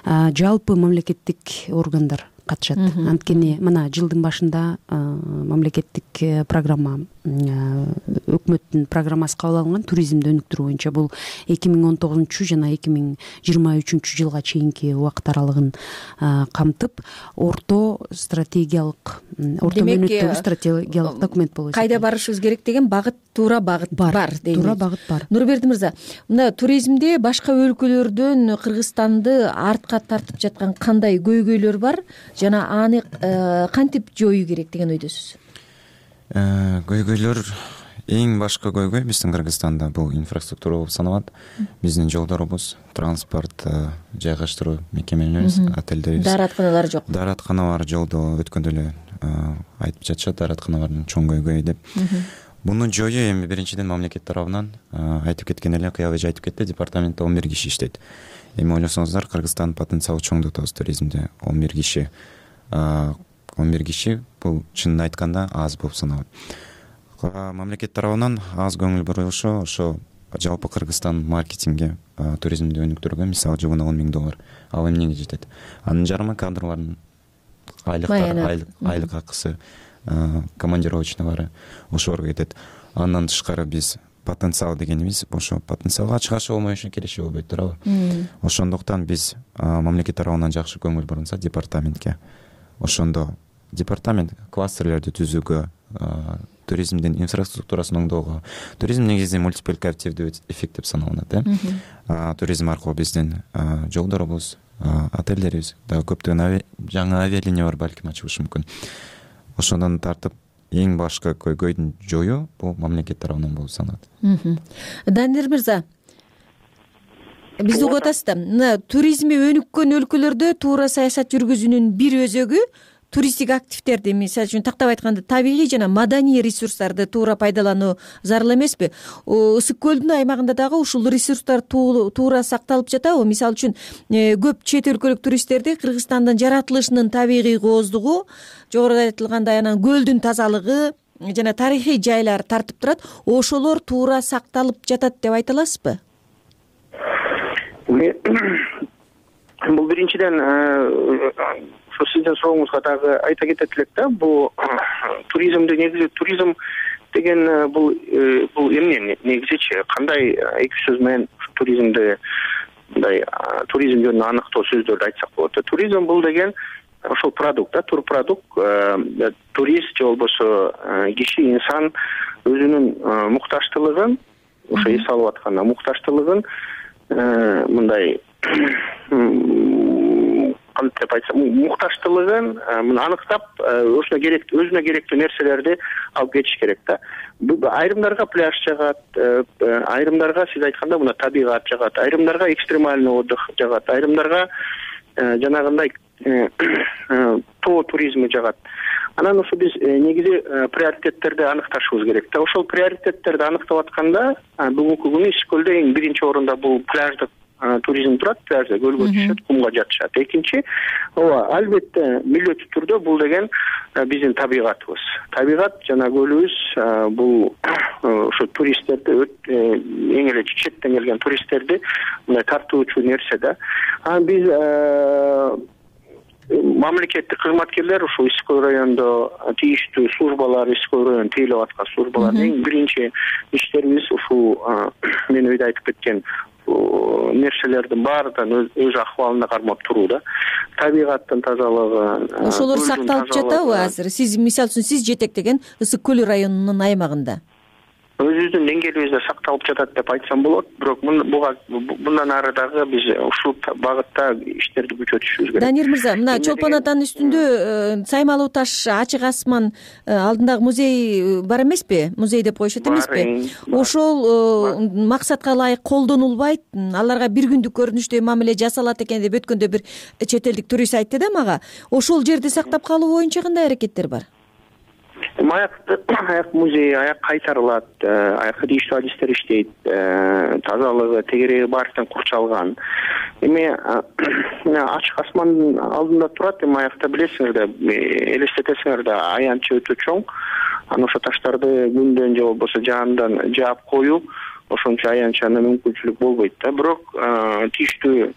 жалпы мамлекеттик органдар катышат. Анткени мына жылдын башында мамлекеттик программа, өкмөттүн программасы кабыл алынган туризмди өнүктүрүү боюнча. Бул эки миң он тогузунчу жана эки миң жыйырма үчүнчү жылга чейинки убакыт аралыгын камтып, орто стратегиялык, орто мөөнөттөгү стратегиялык документ болуп эсептелет. Кайда барышыбыз керек деген багыт, туура багыт бар дейм. Туура багыт бар. Нурберди мырза, мына туризмде башка өлкөлөрдөн Кыргызстанды артка тартып жаткан кандай көйгөйлөр бар жана аны кантип жоюу керек деген ойдосуз? Көйгөйлөр, эң башкы көйгөй биздин Кыргызстанда бул инфраструктура болуп саналат. Биздин жолдорубуз, транспорт жайгаштыруу мекемелерибиз, отелдерибиз, дааратканалар жок. Дааратканалар жолдо өткөндө эле айтып жатышат, дааратканалардын чоң көйгөйү деп. Муну жоюу эми биринчиден мамлекет тарабынан айтып кеткен эле, Кыял эже айтып кетти, департаментте он бир киши иштейт. Эми ойлосоңуздар, Кыргызстандын потенциалы чоң деп атабыз туризмде. он бир киши он бир киши бул чынын айтканда аз болуп саналат. Мамлекет тарабынан аз көңүл бурулушу ошо жалпы Кыргызстан маркетингге, туризмди өнүктүрүүгө, мисалы жылына он миң доллар. Ал эмнеге жетет? Анын жарымы кадрлардын айлыктары, айлык акысы, командировочныйлары ошолорго кетет. Андан тышкары биз потенциал дегенибиз, ошо потенциалга чыгашы болмоюшу кереши болбойт, туурабы? Ошондуктан биз мамлекет тарабынан жакшы көңүл бурулса департаментке, ошондо департамент кластерлерди түзүүгө, туризмдин инфраструктурасын оңдоого. Туризм негизи мультипликативдүү эффект деп саналат, э? Туризм аркылуу биздин жолдорубуз, отелдерибиз, дагы көптөгөн жаңы авиалиниялар балким ачылышы мүмкүн. Ошондон тартып эң башкы көйгөйдүн жоюу бул мамлекет тарабынан болуп саналат. Данир мырза, бизди угуп атасыз да, мына туризми өнүккөн өлкөлөрдө туура саясат жүргүзүүнүн бир өзөгү туристтик активдерди, мисалы үчүн тактап айтканда табигый жана маданий ресурстарды туура пайдалануу зарыл эмеспи? Ысык көлдүн аймагында дагы ушул ресурстар туура сакталып жатабы? Мисалы үчүн көп чет өлкөлүк туристтерди Кыргызстандын жаратылышынын табигый кооздугу, жогоруда айтылгандай анан көлдүн тазалыгы жана тарыхый жайлар тартып турат. Ошолор туура сакталып жатат деп айта аласызбы? Бул биринчиден ошо сиздин сурооңузга дагы айта кетет элек да, бул туризмди негизи туризм деген бул бул эмне негизичи, кандай эки сөз менен туризмди мындай туризм жөнүндө аныктоо сөздөрдү айтсак болот. Туризм бул деген ошол продукт да, турпродукт, турист же болбосо киши, инсан өзүнүн муктаждылыгын, ошо эс алып атканда муктаждылыгын мындай кантип айтсам, муктаждылыгын аныктап, өзүнө керектүү өзүнө керектүү нерселерди алып кетиш керек да. Айрымдарга пляж жагат, айрымдарга сиз айтканда мына табигат жагат, айрымдарга экстремальный отдых жагат, айрымдарга жанагындай тоо туризми жагат. Анан ошо биз негизи приоритеттерди аныкташыбыз керек да. Ошол приоритеттерди аныктап атканда бүгүнкү күнү Ысык көлдө эң биринчи орунда бул пляждык туризм турат, пляжда көлгө түшөт, кумга жатышат. Экинчи, ооба, албетте милдеттүү түрдө бул деген биздин табигатыбыз. Табигат жана көлүбүз бул ошо туристтерди, эң эле четтен келген туристтерди мындай тартуучу нерсе да. Анан биз мамлекеттик кызматкерлер ушул Иской райондо тийиштүү службалар, Иской район тейлеп аткан службалардын эң биринчи иштерибиз ушул мен өйдө айтып кеткен нерселердин баарынан өз акыбалына кармап туруу да. Табигаттын тазалыгы, ошолор сакталып жатабы азыр? Сиз мисалы үчүн сиз жетектеген Ысык көл районунун аймагында өзүбүздүн деңгээлибизде сакталып жатат деп айтсам болот, бирок буга мындан ары дагы биз ушул багытта иштерди күчөтүшүбүз керек. Даниил мырза, мына Чолпон атанын үстүндө Саймалуу таш, Ачык асман алдындагы музей бар эмеспи? Музей деп коюшат эмеспи? Ошол максатка ылайык колдонулбайт, аларга бир күндүк көрүнүштөй мамиле жасалат экен деп өткөндө бир чет элдик турист айтты да мага. Ошол жерди сактап калуу боюнча кандай аракеттер бар? Аяк аяк музей аяк кайтарылат, аякка тийиштүү адистер иштейт, тазалыгы, тегереги баардыктан курчалган. Эми Ачык асмандын алдында турат, эми аякта билесиңер да, элестетесиңер да, аянчы өтө чоң. Анан ошо таштарды күндөн же болбосо жаандан жаап коюу ошончо аянчаны мүмкүнчүлүк болбойт да. Бирок тийиштүү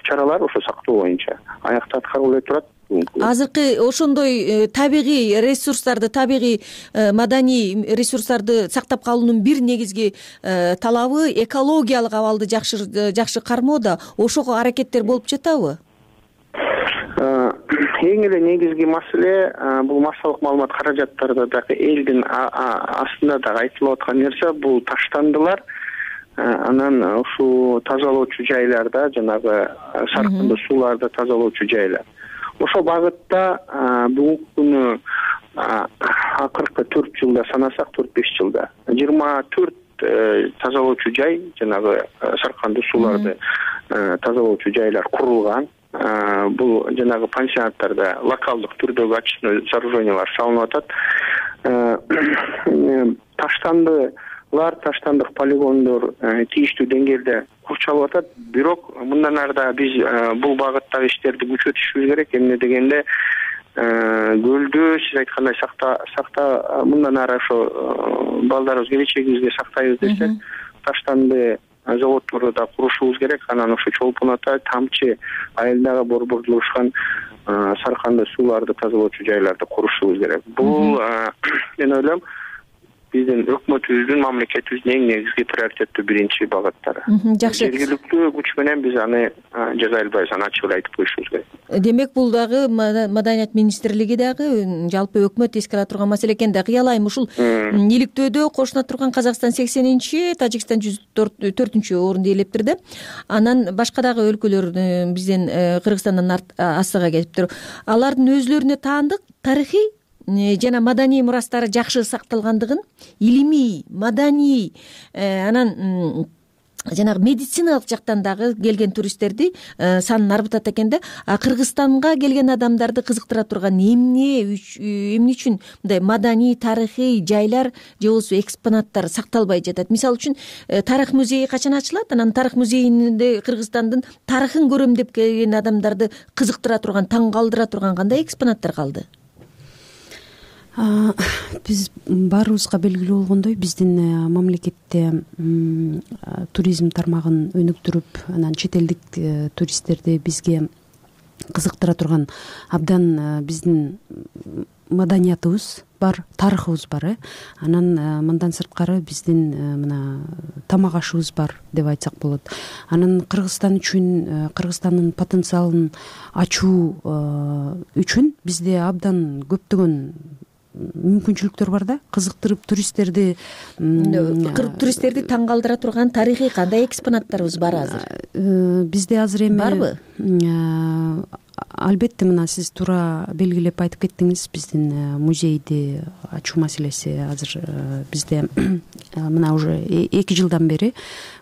чаралар ошо сактоо боюнча аякта аткарылып эле турат. Азыркы ошондой табигый ресурстарды, табигый маданий ресурстарды сактап калуунун бир негизги талабы экологиялык абалды жакшы жакшы кармоо да. Ошого аракеттер болуп жатабы? Эң эле негизги маселе бул массалык маалымат каражаттарда дагы элдин астында дагы айтылып аткан нерсе бул таштандылар. Анан ушул тазалоочу жайларда, жанагы саркындуу сууларды тазалоочу жайлар. Ошол багытта бүгүнкү күнү акыркы төрт жылда санасак, төрт беш жылда жыйырма төрт тазалоочу жай, жанагы саркындуу сууларды тазалоочу жайлар курулган. Бул жанагы пансионаттарда локалдык түрдөгү очистной сооружениялар салынып атат. Таштандылар, таштандык полигондор тийиштүү деңгээлде курчалып атат. Бирок мындан ары да биз бул багыттагы иштерди күчөтүшүбүз керек. Эмне дегенде көлдү сиз айткандай сакта сакта мындан ары ошо балдарыбыз келечегибизге сактайбыз десек, таштанды заводдорду да курушубуз керек. Анан ошо Чолпон ата, Тамчы айылдагы борбордулушкан саркандуу сууларды тазалоочу жайларды курушубуз керек. Бул мен ойлойм биздин өкмөтүбүздүн, мамлекетибиздин эң негизги приоритеттүү биринчи багыттары. Жакшы. Жергиликтүү күч менен биз аны жаза албайбыз, аны ачык эле айтып коюшубуз керек. Демек бул дагы Маданият министрлиги дагы жалпы өкмөт эске ала турган маселе экен да. Кыялайм ушул иликтөөдө кошуна турган Казакстан сексенинчи, Тажикстан жүз төртүнчү орунду ээлептир да. Анан башка дагы өлкөлөр бизден Кыргызстандан астыга келиптир. Алардын өзлөрүнө таандык тарыхый жана маданий мурастары жакшы сакталгандыгын, илимий, маданий, анан жанагы медициналык жактан дагы келген туристтерди санын арбытат экен да. А Кыргызстанга келген адамдарды кызыктыра турган эмне эмне үчүн мындай маданий, тарыхый жайлар же болбосо экспонаттар сакталбай жатат? Мисалы үчүн тарых музейи качан ачылат? Анан тарых музейинде Кыргызстандын тарыхын көрөм деп келген адамдарды кызыктыра турган, таң калтыра турган кандай экспонаттар калды? Биз баарыбызга белгилүү болгондой, биздин мамлекетте туризм тармагын өнүктүрүп, анан чет элдик туристтерди бизге кызыктыра турган абдан биздин маданиятыбыз бар, тарыхыбыз бар, э. Анан мындан сырткары биздин мына тамак ашыбыз бар деп айтсак болот. Анан Кыргызстан үчүн, Кыргызстандын потенциалын ачуу үчүн бизде абдан көптөгөн мүмкүнчүлүктөр бар да, кызыктырып туристтерди туристтерди таң калтыра турган тарыхый кандай экспонаттарыбыз бар азыр? Бизде азыр эми барбы? Албетте, мына сиз туура белгилеп айтып кеттиңиз, биздин музейди ачуу маселеси азыр бизде мына уже эки жылдан бери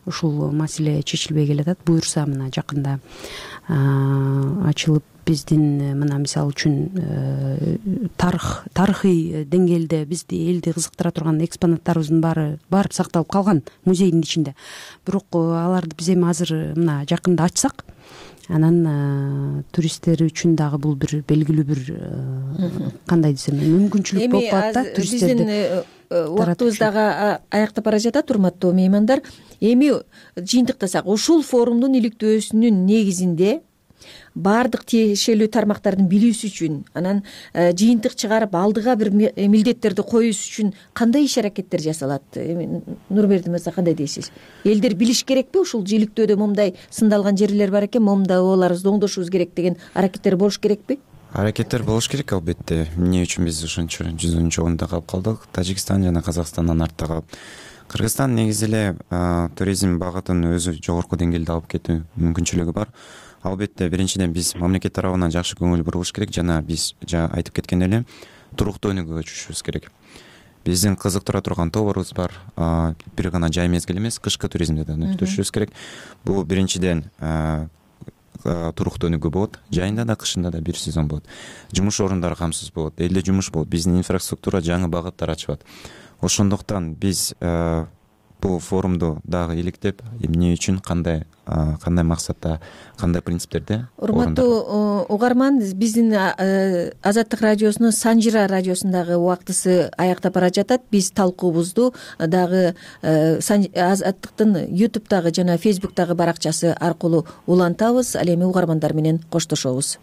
ушул маселе чечилбей келатат. Буюрса мына жакында ачылып биздин мына мисалы үчүн тарых тарыхый деңгээлде бизди элди кызыктыра турган экспонаттарыбыздын баары барып сакталып калган музейдин ичинде. Бирок аларды биз эми азыр мына жакында ачсак, анан туристтер үчүн дагы бул бир белгилүү бир кандай десем мүмкүнчүлүк болуп калат да туристтерди. Биздин убактыбыз дагы аяктап бара жатат, урматтуу меймандар. Эми жыйынтыктасак, ушул форумдун иликтөөсүнүн негизинде баардык тиешелүү тармактардын билүүсү үчүн анан жыйынтык чыгарып алдыга бир милдеттерди коюш үчүн кандай иш аракеттер жасалат? Нурбердин мырза кандай дейсиз? Элдер билиш керекпи ушул жийликтөөдө момундай сындалган жерлер бар экен, момундай обаларыбызды оңдошубуз керек деген аракеттер болуш керекпи? Аракеттер болуш керек албетте. Эмне үчүн биз ошончо жүзүнчү орунда калып калдык? Тажикстан жана Казакстандан артта калып. Кыргызстан негизи эле туризм багытын өзү жогорку деңгээлде алып кетүү мүмкүнчүлүгү бар. Албетте биринчиден биз мамлекет тарабынан жакшы көңүл бурулуш керек жана биз жана айтып кеткендей эле туруктуу өнүгүүгө көчүшүбүз керек. Биздин кызыктыра турган тоборубуз бар. Бир гана жай мезгил эмес, кышкы туризмди да өнүктүрүшүбүз керек. Бул биринчиден туруктуу өнүгүү болот. Жайында да, кышында да бир сезон болот. Жумуш орундары камсыз болот, элде жумуш болот. Биздин инфраструктура жаңы багыттар ачылат. Ошондуктан биз бул форумду дагы иликтеп, эмне үчүн, кандай кандай максатта, кандай принциптерде. Урматтуу угарман, биздин Азаттык радиосунун Санжира радиосундагы убактысы аяктап бара жатат. Биз талкуубузду дагы Азаттыктын ютубтагы жана фейсбуктагы баракчасы аркылуу улантабыз. Ал эми угармандар менен коштошобуз.